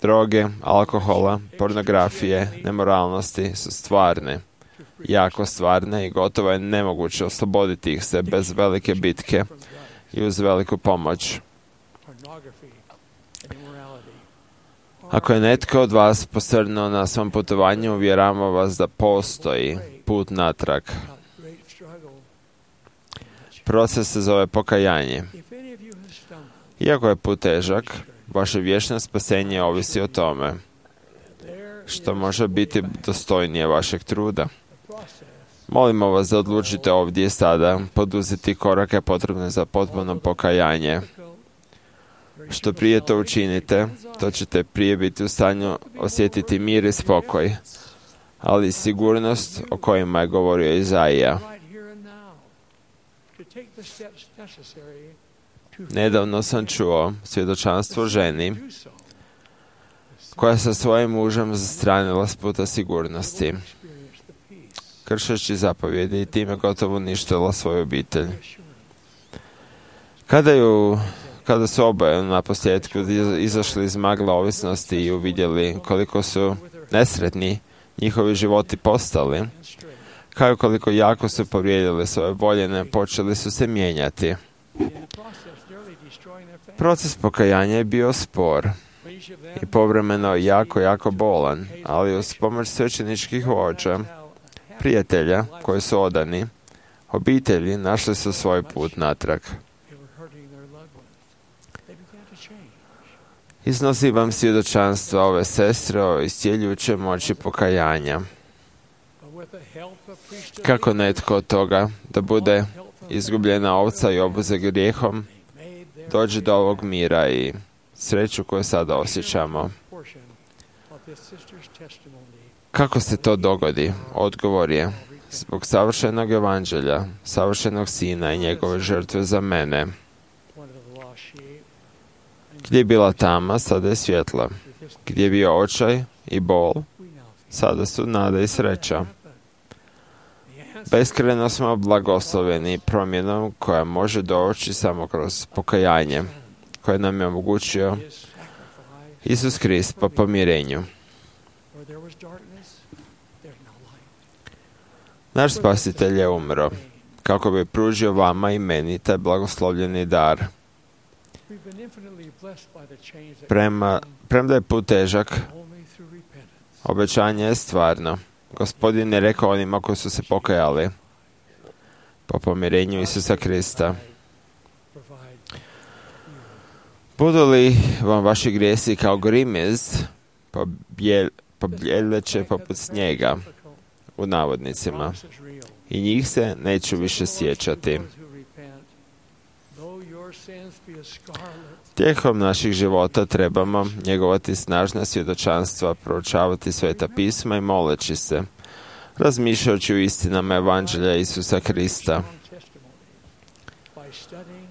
droge, alkohola, pornografije, nemoralnosti su stvarne, jako stvarne i gotovo je nemoguće osloboditi ih se bez velike bitke i uz veliku pomoć. Ako je netko od vas posrnuo na svom putovanju, uvjeravam vas da postoji put natrag. Proces se zove pokajanje. Iako je put težak, vaše vječno spasenje ovisi o tome, što može biti dostojnije vašeg truda. Molimo vas da odlučite ovdje i sada poduzeti korake potrebne za potpuno pokajanje. Što prije to učinite, to ćete prije biti u stanju osjetiti mir i spokoj, ali i sigurnost o kojima je govorio Izaija. Nedavno sam čuo svjedočanstvo ženi koja sa svojim mužem zastranila s puta sigurnosti, kršeći zapovjedi i time gotovo uništila svoju obitelj. Kada ju Kada su oboje na posljedku izašli iz magla ovisnosti i uvidjeli koliko su nesretni njihovi životi postali, kao i koliko jako su povrijedili svoje voljene, počeli su se mijenjati. Proces pokajanja je bio spor i povremeno jako, jako bolan, ali uz pomoć svećeničkih vođa, prijatelja koji su odani, obitelji našli su svoj put natrag. Iznosi vam svjedočanstva ove sestre o iscjeljujućoj moći pokajanja. Kako netko od toga da bude izgubljena ovca i obuze grijehom, dođe do ovog mira i sreću koju sada osjećamo. Kako se to dogodi? Odgovor je zbog savršenog evanđelja, savršenog sina i njegove žrtve za mene. Gdje je bila tama, sada je svjetla. Gdje je bio očaj i bol, sada su nada i sreća. Beskrajno smo blagosloveni promjenom koja može doći samo kroz pokajanje, koje nam je omogućio Isus Krist po pomirenju. Naš spasitelj je umro, kako bi pružio vama i meni taj blagoslovljeni dar. Prema, premda je put težak, obećanje je stvarno. Gospodin je rekao onima koji su se pokajali po pomirenju Isusa Krista. Budu li vam vaši grijesi kao grimez, pobjeljeće poput snijega, u navodnicima, i njih se neću više sjećati. Tijekom naših života trebamo njegovati snažna svjedočanstva, proučavati Sveta pisma i moleći se, razmišljajući o istinama Evanđelja Isusa Krista.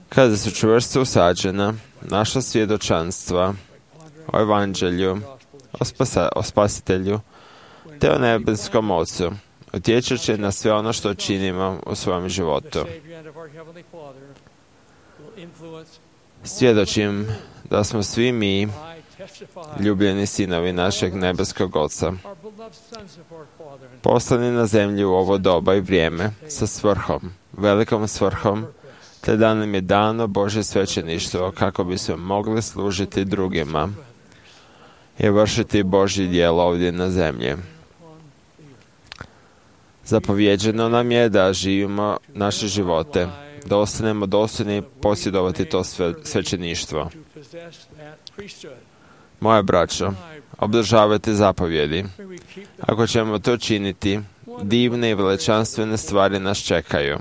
Kada su čvrsto usađena, naša svjedočanstva o Evanđelju, o, spasa, o Spasitelju, te o nebeskom Ocu, utječat će na sve ono što činimo u svojem životu. Svjedočim da smo svi mi ljubljeni sinovi našeg nebeskog Oca, poslani na zemlju u ovo doba i vrijeme sa svrhom, velikom svrhom, te da nam je dano Božje svećeništvo kako bismo mogli služiti drugima i vršiti Božje djelo ovdje na zemlji. Zapovjeđeno nam je da živimo naše živote, da ostanemo dostojni posjedovati to sve, svećeništvo. Moja braćo, obdržavajte zapovjedi. Ako ćemo to činiti, divne i veličanstvene stvari nas čekaju.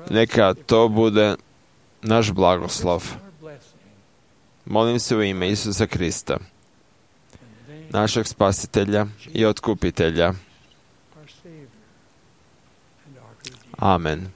Neka to bude naš blagoslov. Molim se u ime Isusa Krista, našeg spasitelja i otkupitelja. Amen.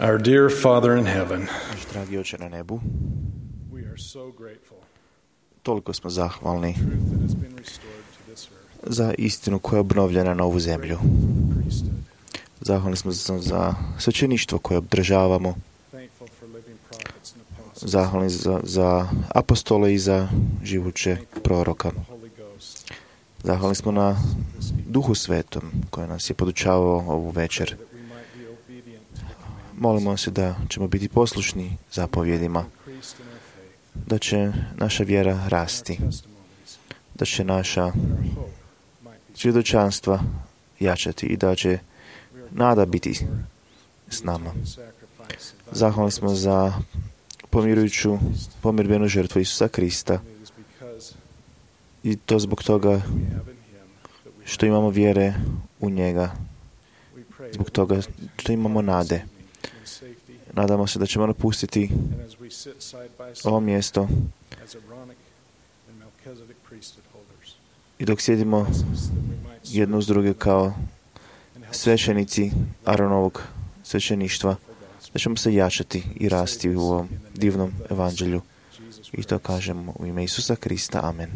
Our dear Father in heaven, Naš dragi Oče na nebu, we are so grateful toliko smo zahvalni for the truth that has been restored to this earth. za istinu koja je obnovljena na ovu zemlju. Priesthood. Zahvalni smo za, za svećeništvo koje obdržavamo. Thank zahvalni za, za apostole i za živuće proroka. Zahvalni smo na Duhu Svetom koji nas je podučavao ovu večer. Molimo se da ćemo biti poslušni zapovjedima, da će naša vjera rasti, da će naša svjedočanstva jačati i da će nada biti s nama. Zahvalni smo za pomirujuću, pomirbenu žrtvu Isusa Krista i to zbog toga što imamo vjere u njega, zbog toga što imamo nade. Nadamo se da ćemo napustiti ovo mjesto i dok sjedimo jedno uz druge kao svećenici Aronovog svećeništva, da ćemo se jačati i rasti u ovom divnom evanđelju. I to kažemo u ime Isusa Krista. Amen.